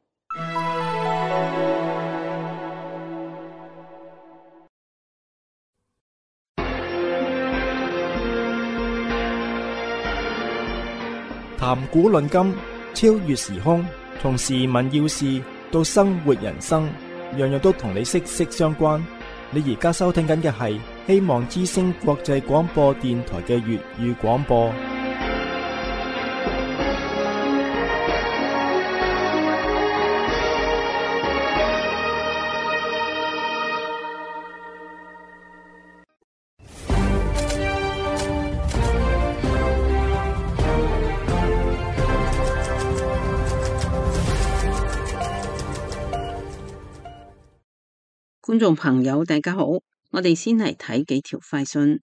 [SPEAKER 1] 談古論今，超越時空，從時聞要事到生活人生，樣樣都同你息息相關。你而家收聽緊嘅係希望之聲國際廣播電台嘅粵語廣播。
[SPEAKER 5] 觀眾朋友，大家好，我哋先嚟睇幾條快訊。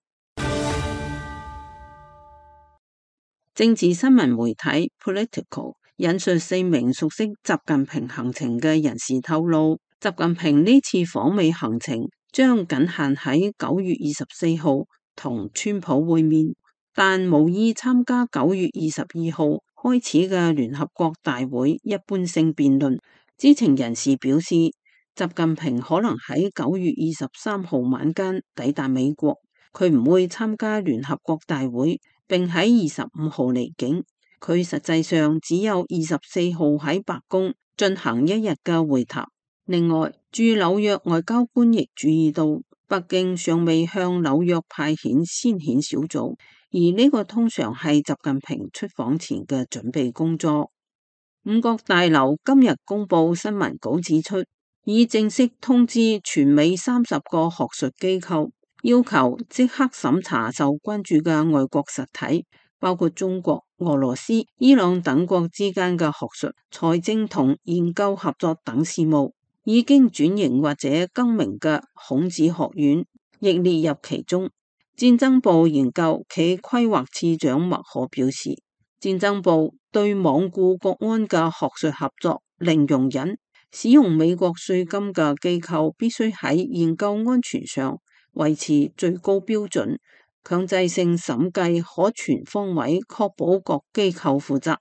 [SPEAKER 5] 政治新聞媒體 Political 引述4名熟悉習近平行程嘅人士透露，習近平呢次訪美行程將僅限喺9月24號同川普會面，但無意參加9月22號開始嘅聯合國大會一般性辯論。知情人士表示，習近平可能喺9月23號晚間抵達美國，佢唔會參加聯合國大會，並喺25號離境。佢實際上只有24號喺白宮進行1日嘅會談。另外，駐紐約外交官亦注意到，北京尚未向紐約派遣先遣小組，而呢個通常係習近平出訪前嘅準備工作。五角大樓今日公布新聞稿指出，已正式通知全美30個學術機構，要求即刻審查受關注嘅外國實體，包括中國、俄羅斯、伊朗等國之間嘅學術、財政同研究合作等事務。已經轉型或者更名嘅孔子學院亦列入其中。戰爭部研究暨規劃次長麥可表示，戰爭部對罔顧國安嘅學術合作零容忍。使用美國稅金嘅機構必須喺研究安全上維持最高標準，強制性審計可全方位確保各機構負責。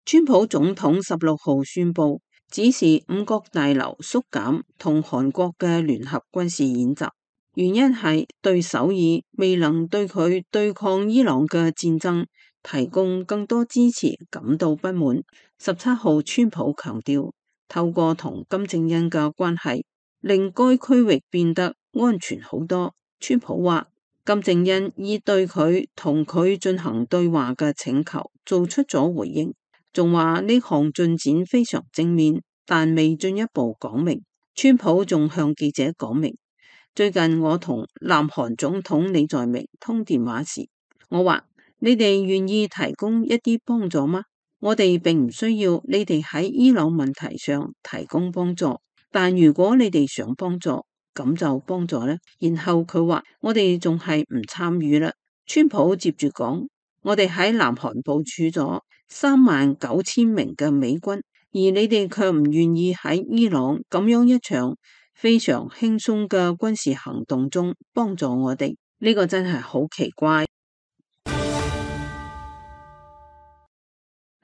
[SPEAKER 5] 川普總統16號宣布指示五角大樓縮減同韓國嘅聯合軍事演習，原因係對首爾未能對佢對抗伊朗嘅戰爭提供更多支持感到不滿。17號川普強調，透過同金正恩嘅關係，令該區域變得安全好多。川普話，金正恩已對佢同佢進行對話嘅請求做出咗回應，仲話呢項進展非常正面，但未進一步講明。川普仲向記者講明，最近我同南韓總統李在明通電話時，我話，你哋願意提供一啲幫助嗎？我哋並唔需要你哋喺伊朗問題上提供幫助，但如果你哋想幫助，咁就幫助啦。然後佢話，我哋仲係唔參與啦。川普接住講，我哋喺南韓部署咗39000名嘅美軍，而你哋卻唔願意喺伊朗咁樣一場非常輕鬆嘅軍事行動中幫助我哋，呢個真係好奇怪。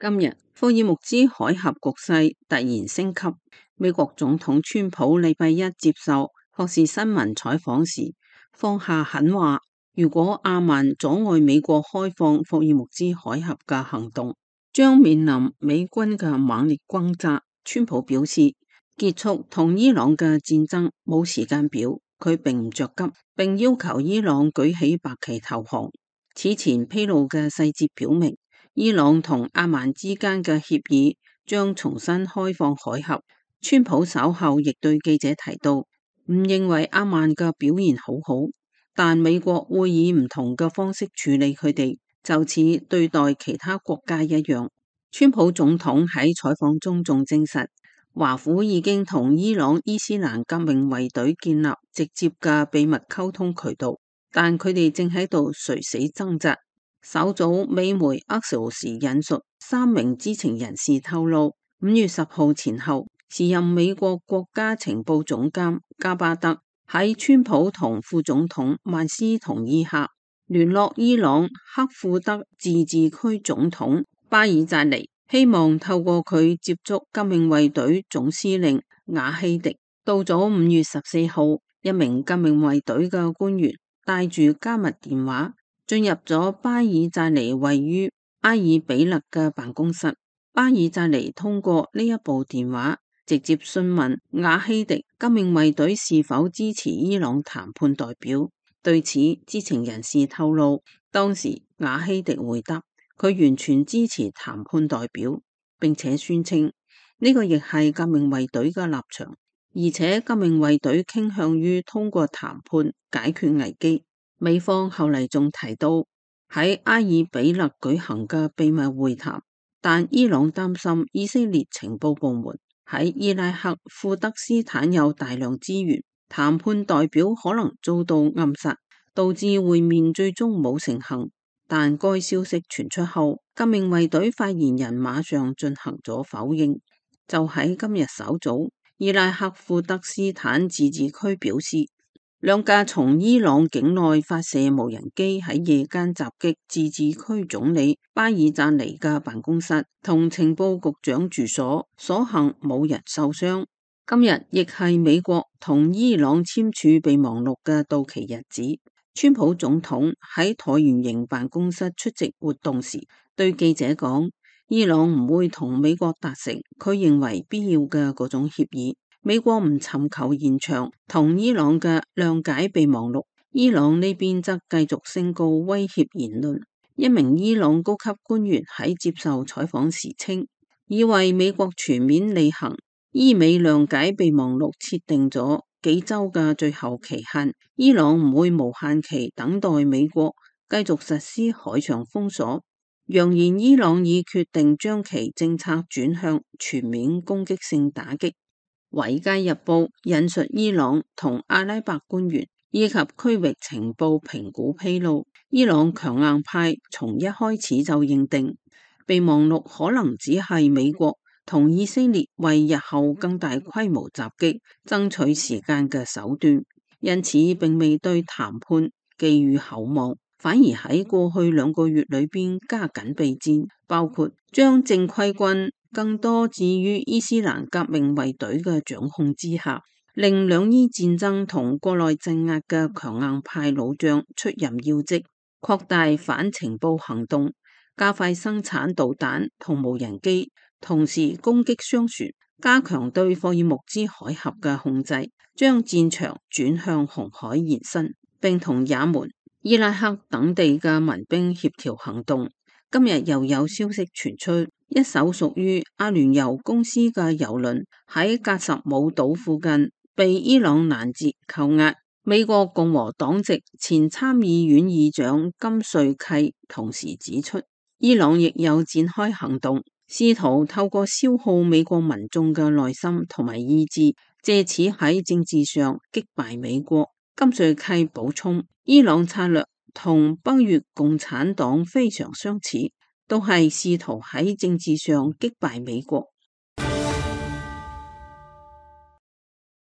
[SPEAKER 5] 今日霍爾木茲海峽局勢突然升級，美國總統川普禮拜一接受霍士新聞採訪時放下狠話，如果阿曼阻礙美國開放霍爾木茲海峽嘅行動，將面臨美軍嘅猛烈轟炸。川普表示，結束同伊朗嘅戰爭冇時間表，佢並唔着急，並要求伊朗舉起白旗投降。此前披露嘅細節表明，伊朗同阿曼之間嘅協議將重新開放海峽。川普稍後亦對記者提到，唔認為阿曼嘅表現好好，但美國會以唔同嘅方式處理佢哋，就似對待其他國家一樣。川普總統喺採訪中仲證實，華府已經同伊朗伊斯蘭革命衛隊建立直接嘅秘密溝通渠道，但佢哋正喺度垂死掙扎。稍早美媒 Axios 引述3名知情人士透露，5月10號前後，
[SPEAKER 9] 時任美國國家情報總監加巴德喺川普同副總統曼斯同意下，聯絡伊朗克庫德自治區總統巴爾扎尼，希望透過佢接觸革命衛隊總司令瓦希迪。到咗5月14號，一名革命衛隊嘅官員帶住加密電話進入咗巴爾扎尼位於埃爾比勒嘅辦公室。巴爾扎尼通過呢一部電話直接詢問瓦希迪革命衛隊是否支持伊朗談判代表。對此，知情人士透露，當時瓦希迪回答佢完全支持談判代表，並且宣稱呢個亦係革命衛隊嘅立場，而且革命衛隊傾向於通過談判解決危機。美方後嚟仲提到喺埃爾比勒舉行嘅秘密會談，但伊朗擔心以色列情報部門喺伊拉克庫德斯坦有大量資源，談判代表可能遭到暗殺，導致會面最終冇成行。但該消息傳出後，革命衛隊發言人馬上進行咗否認。就喺今日稍早，伊拉克庫德斯坦自治區表示，兩架從伊朗境內發射無人機喺夜間襲擊自治區總理巴爾扎尼嘅辦公室同情報局長住所，所幸冇人受傷。今日亦係美國同伊朗簽署備忘錄嘅到期日子。川普總統喺橢圓形辦公室出席活動時，對記者講，伊朗唔會同美國達成佢認為必要嘅嗰種協議。美國唔尋求延長同伊朗嘅諒解備忘錄，伊朗呢邊則繼續宣告威脅言論。一名伊朗高級官員喺接受採訪時稱，以為美國全面履行伊美諒解備忘錄設定咗幾週嘅最後期限，伊朗唔會無限期等待美國繼續實施海上封鎖，揚言伊朗已決定將其政策轉向全面攻擊性打擊。《華爾街日報》引述伊朗同阿拉伯官員以及區域情報評估披露，伊朗強硬派從一開始就認定備忘錄可能只係美國同以色列為日後更大規模襲擊爭取時間嘅手段，因此並未對談判寄予厚望，反而喺過去2個月裏邊加緊備戰，包括將正規軍更多置於伊斯蘭革命衛隊嘅掌控之下，令兩伊戰爭同國內鎮壓嘅強硬派老將出任要職，擴大反情報行動，加快生產導彈同無人機，同時攻擊商船，加強對霍爾木茲海峽嘅控制，將戰場轉向紅海延伸，並同也門、伊拉克等地嘅民兵協調行動。今日又有消息傳出，一艘屬於阿聯酋公司嘅郵輪喺格什姆島附近被伊朗攔截扣押。美國共和黨籍前參議院議長金瑞契同時指出，伊朗亦有展開行動，試圖透過消耗美國民眾嘅耐心同埋意志，借此喺政治上擊敗美國。金瑞契補充，伊朗策略同北越共產黨非常相似，都係試圖喺政治上擊敗美國。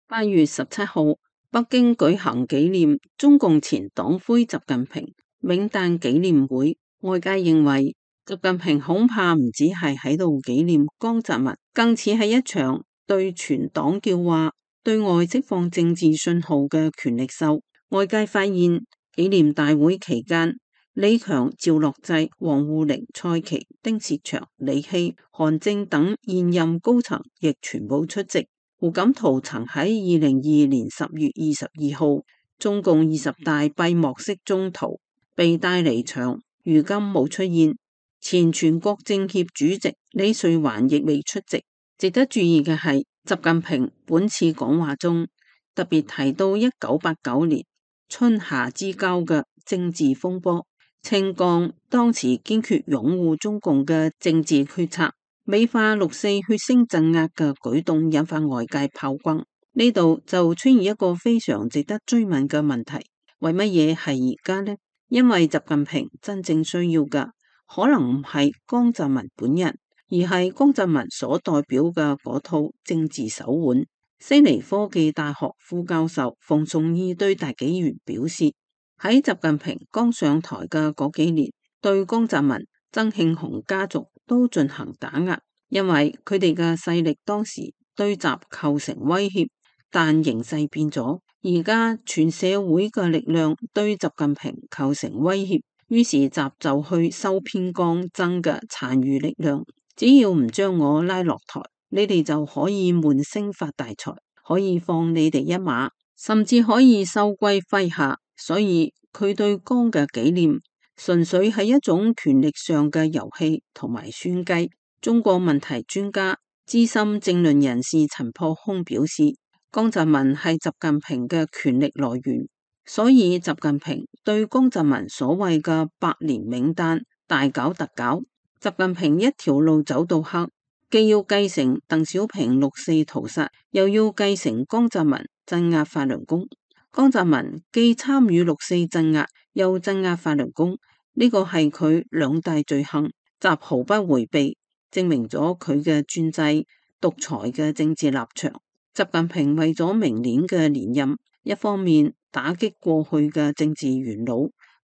[SPEAKER 9] 8月17號，北京舉行紀念中共前黨魁習近平冥誕紀念會，外界認為習近平恐怕唔止係喺度紀念江澤民，更似係一場對全黨叫話、對外釋放政治信號嘅權力秀。外界發現紀念大會期間，李強、趙樂際、王滬寧、蔡奇、丁薛祥、李希、韓正等現任高層亦全部出席。胡錦濤曾喺2022年10月22號中共20大閉幕式中途被帶離場，如今冇出現。前全國政協主席李瑞環亦未出席。值得注意嘅係，習近平本次講話中特別提到1989年春夏之交嘅政治風波，稱降當時堅決擁護中共嘅政治決策，美化6.4血腥鎮壓嘅舉動引發外界炮轟。呢度就出現一個非常值得追問嘅問題，為乜嘢係而家呢？因為習近平真正需要嘅可能唔係江澤民本人，而係江澤民所代表嘅嗰套政治手腕。悉尼科技大學副教授馮崇義對大紀元表示，喺習近平剛上台嘅嗰幾年，對江澤民、曾慶紅家族都進行打壓，因為佢哋嘅勢力當時對習構成威脅。但形勢變咗，而家全社會嘅力量對習近平構成威脅，於是習就去收編剛增嘅殘餘力量，只要唔將我拉落台，你哋就可以悶聲發大財，可以放你哋一馬，甚至可以收歸麾下。所以佢對江嘅紀念純粹係一種權力上嘅遊戲同埋算計。中國問題專家資深政論人士陳破空表示，江澤民係習近平嘅權力來源，所以習近平對江澤民所謂嘅百年冥誕大搞特搞。習近平一條路走到黑，既要繼承鄧小平六四屠殺，又要繼承江澤民鎮壓法輪功。江澤民既參與六四鎮壓，又鎮壓法輪功，呢個係佢兩大罪行，習毫不回避，證明咗佢嘅專制獨裁嘅政治立場。習近平為咗明年嘅連任，一方面打擊過去嘅政治元老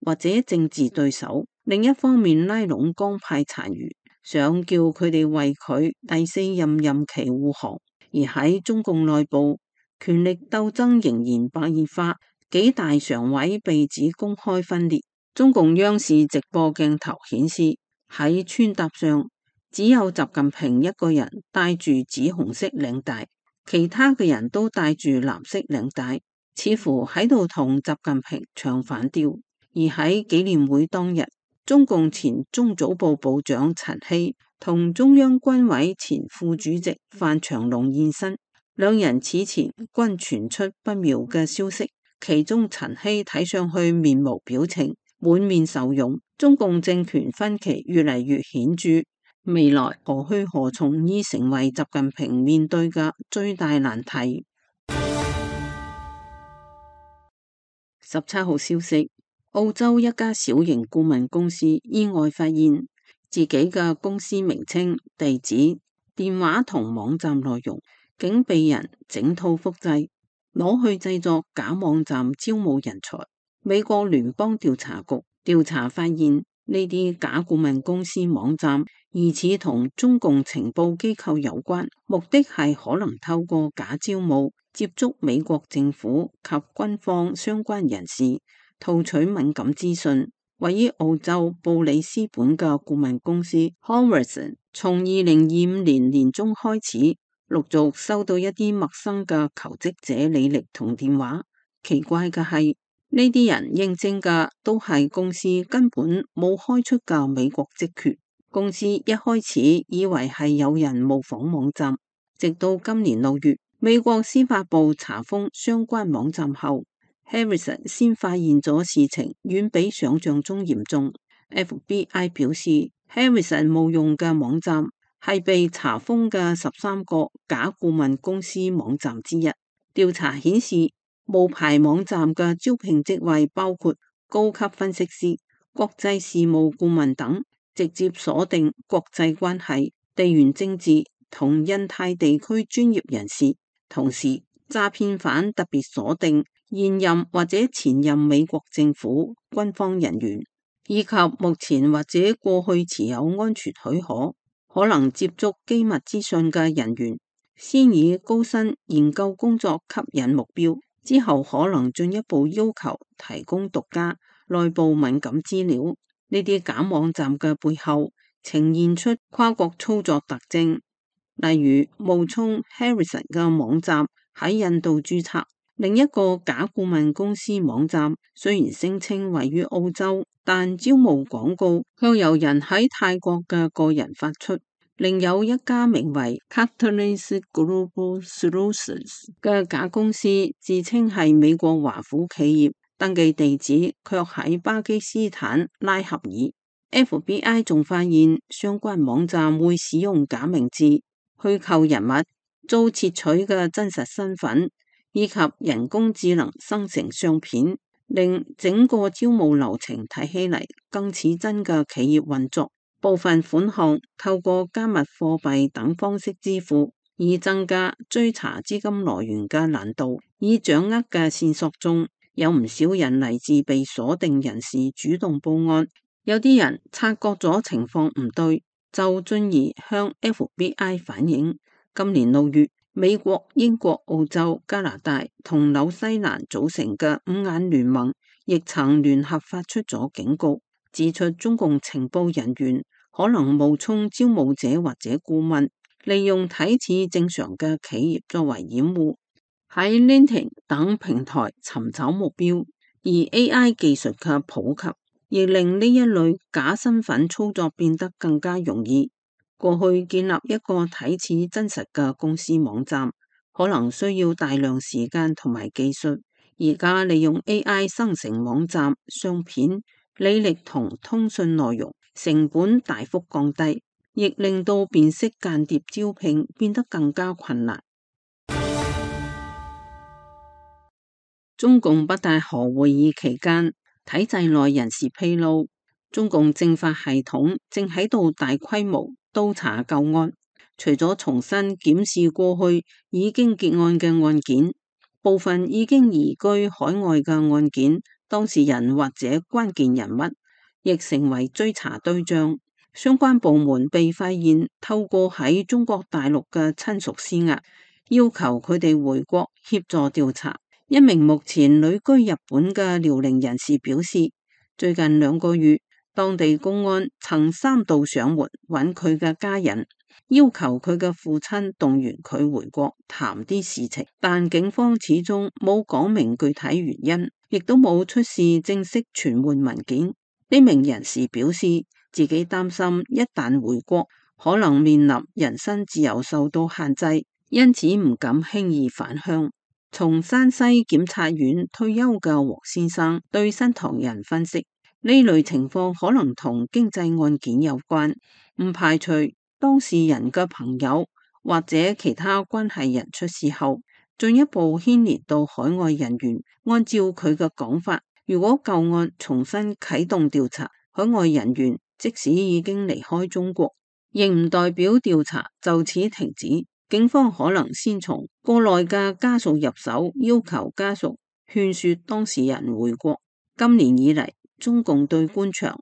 [SPEAKER 9] 或者政治對手，另一方面拉攏江派殘餘，想叫佢哋為佢第四任任期護航。而喺中共內部，權力鬥爭仍然白熱化，幾大常委被指公開分裂。中共央視直播鏡頭顯示，喺穿搭上只有習近平一個人戴住紫紅色領帶，其他嘅人都戴住藍色領帶，似乎喺度同習近平唱反調。而喺紀念會當日，中共前中組部部長陳希同中央軍委前副主席范長龍現身，兩人此前均傳出不妙嘅消息，其中陳希睇上去面無表情，滿面愁容。中共政權分歧越嚟越顯著，未來何去何從已成為習近平面對嘅最大難題。17號消息，澳洲一家小型顧問公司意外發現自己嘅公司名稱、地址、電話同網站內容竟被人整套複製，攞去製作假網站招募人才。美國聯邦調查局調查發現，呢啲假顧問公司網站疑似同中共情報機構有關，目的係可能透過假招募接觸美國政府及軍方相關人士，套取敏感資訊。位於澳洲布里斯本嘅顧問公司 Horizon 從2025年年中開始，陸續收到一啲陌生嘅求職者履歷同電話。奇怪嘅係，呢啲人應徵嘅都係公司根本冇開出嘅美國職缺。公司一開始以為係有人模仿網站，直到今年6月，美國司法部查封相關網站後， Harrison 先發現咗事情遠比想象中嚴重。FBI 表示， Harrison 冒用嘅網站係被查封嘅13個假顧問公司網站之一。調查顯示，無牌網站嘅招聘職位包括高級分析師、國際事務顧問等，直接鎖定國際關係、地緣政治同印太地區專業人士。同時，詐騙犯特別鎖定現任或者前任美國政府軍方人員，以及目前或者過去持有安全許可、可能接觸機密資訊嘅人員，先以高薪研究工作吸引目標，之後可能進一步要求提供獨家內部敏感資料。呢啲假網站嘅背後呈現出跨國操作特徵，例如冒充 Harrison 嘅網站喺印度註冊，另一個假顧問公司網站雖然聲稱位於澳洲，但招募廣告卻由人喺泰國嘅個人發出。另有一家名為 Catalyst Global Solutions 嘅假公司，自稱係美國華府企業，登記地址卻喺巴基斯坦拉合爾。FBI 仲發現相關網站會使用假名字、虛構人物、遭竊取嘅真實身份，以及人工智能生成相片，令整個招募流程睇起嚟更似真嘅企業運作。部分款項透過加密貨幣等方式支付，以增加追查資金來源嘅難度。已掌握嘅線索中，有唔少人嚟自被鎖定人士主動報案，有啲人察覺咗情況唔對，就進而向 FBI 反映。今年6月，美國、英國、澳洲、加拿大同紐西蘭組成嘅五眼聯盟亦曾聯合發出咗警告，指出中共情報人員可能冒充招募者或者顧問，利用睇似正常嘅企業作為掩護，喺 LinkedIn 等平台尋找目標。而 AI 技術嘅普及，亦令呢一類假身份操作變得更加容易。過去建立一個睇似真實嘅公司網站，可能需要大量時間同埋技術。而家利用 AI 生成網站、相片、履歷同通訊內容，成本大幅降低，亦令到辨識間諜招聘變得更加困難。中共北戴河會議期間，體制內人士披露，中共政法系統正喺度大規模督查舊案，除咗重新檢視過去已經結案嘅案件，部分已經移居海外嘅案件，當事人或者關鍵人物亦成為追查對象。相關部門被發現透過喺中國大陸嘅親屬施壓，要求佢哋回國協助調查。一名目前旅居日本嘅遼寧人士表示，最近2個月，當地公安曾3度上門揾佢嘅家人，要求佢嘅父親動員佢回國談啲事情，但警方始終冇講明具體原因，亦都冇出示正式傳喚文件。呢名人士表示，自己擔心一旦回國，可能面臨人身自由受到限制，因此唔敢輕易返鄉。從山西檢察院退休嘅黃先生對新唐人分析，呢類情況可能同經濟案件有關，唔排除當事人嘅朋友或者其他關係人出事後，進一步牽連到海外人員。按照佢嘅講法，如果舊案重新啟動調查，海外人員即使已經離開中國，亦唔代表調查就此停止。警方可能先從國內嘅家屬入手，要求家屬勸說當事人回國。今年以嚟，中共對官場、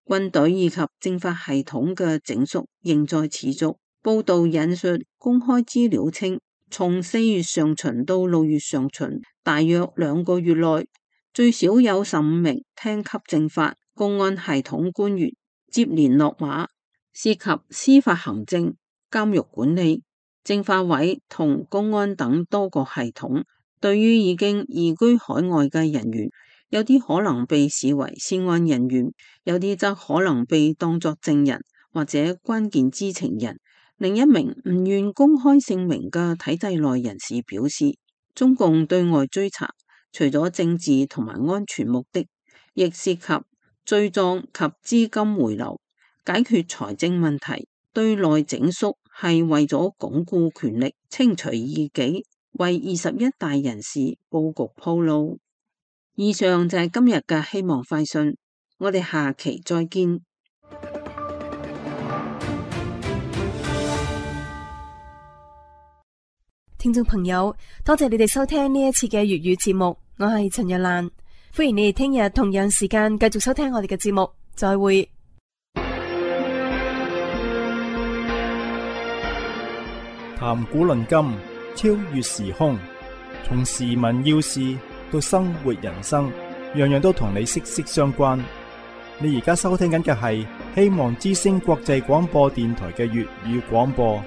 [SPEAKER 9] 軍隊以及政法系統嘅整肅仍在持續。報道引述公開資料稱，從4月上旬到6月上旬，大約2個月內，最少有15名廳級政法、公安系統官員接連落馬，涉及司法行政、監獄管理、政法委同公安等多個系統。對於已經移居海外嘅人員，有啲可能被視為涉案人員，有啲則可能被當作證人或者關鍵知情人。另一名唔願公開姓名嘅體制內人士表示，中共對外追查除咗政治同埋安全目的，亦涉及罪狀及資金回流、解決財政問題。對內整肅係為咗鞏固權力、清除異己，為21大人士佈局鋪路。以上就係今日嘅希望快訊，我哋下期再見。
[SPEAKER 2] 聽眾朋友，多謝你哋收聽呢一次嘅粵語節目，我係陳日蘭，歡迎你哋聽日同樣時間繼續收聽我哋嘅節目，再會。
[SPEAKER 1] 談古論今，超越時空，從時聞要事到生活人生，樣樣都同你息息相關。你而家收聽緊嘅係希望之聲國際廣播電台嘅粵語廣播。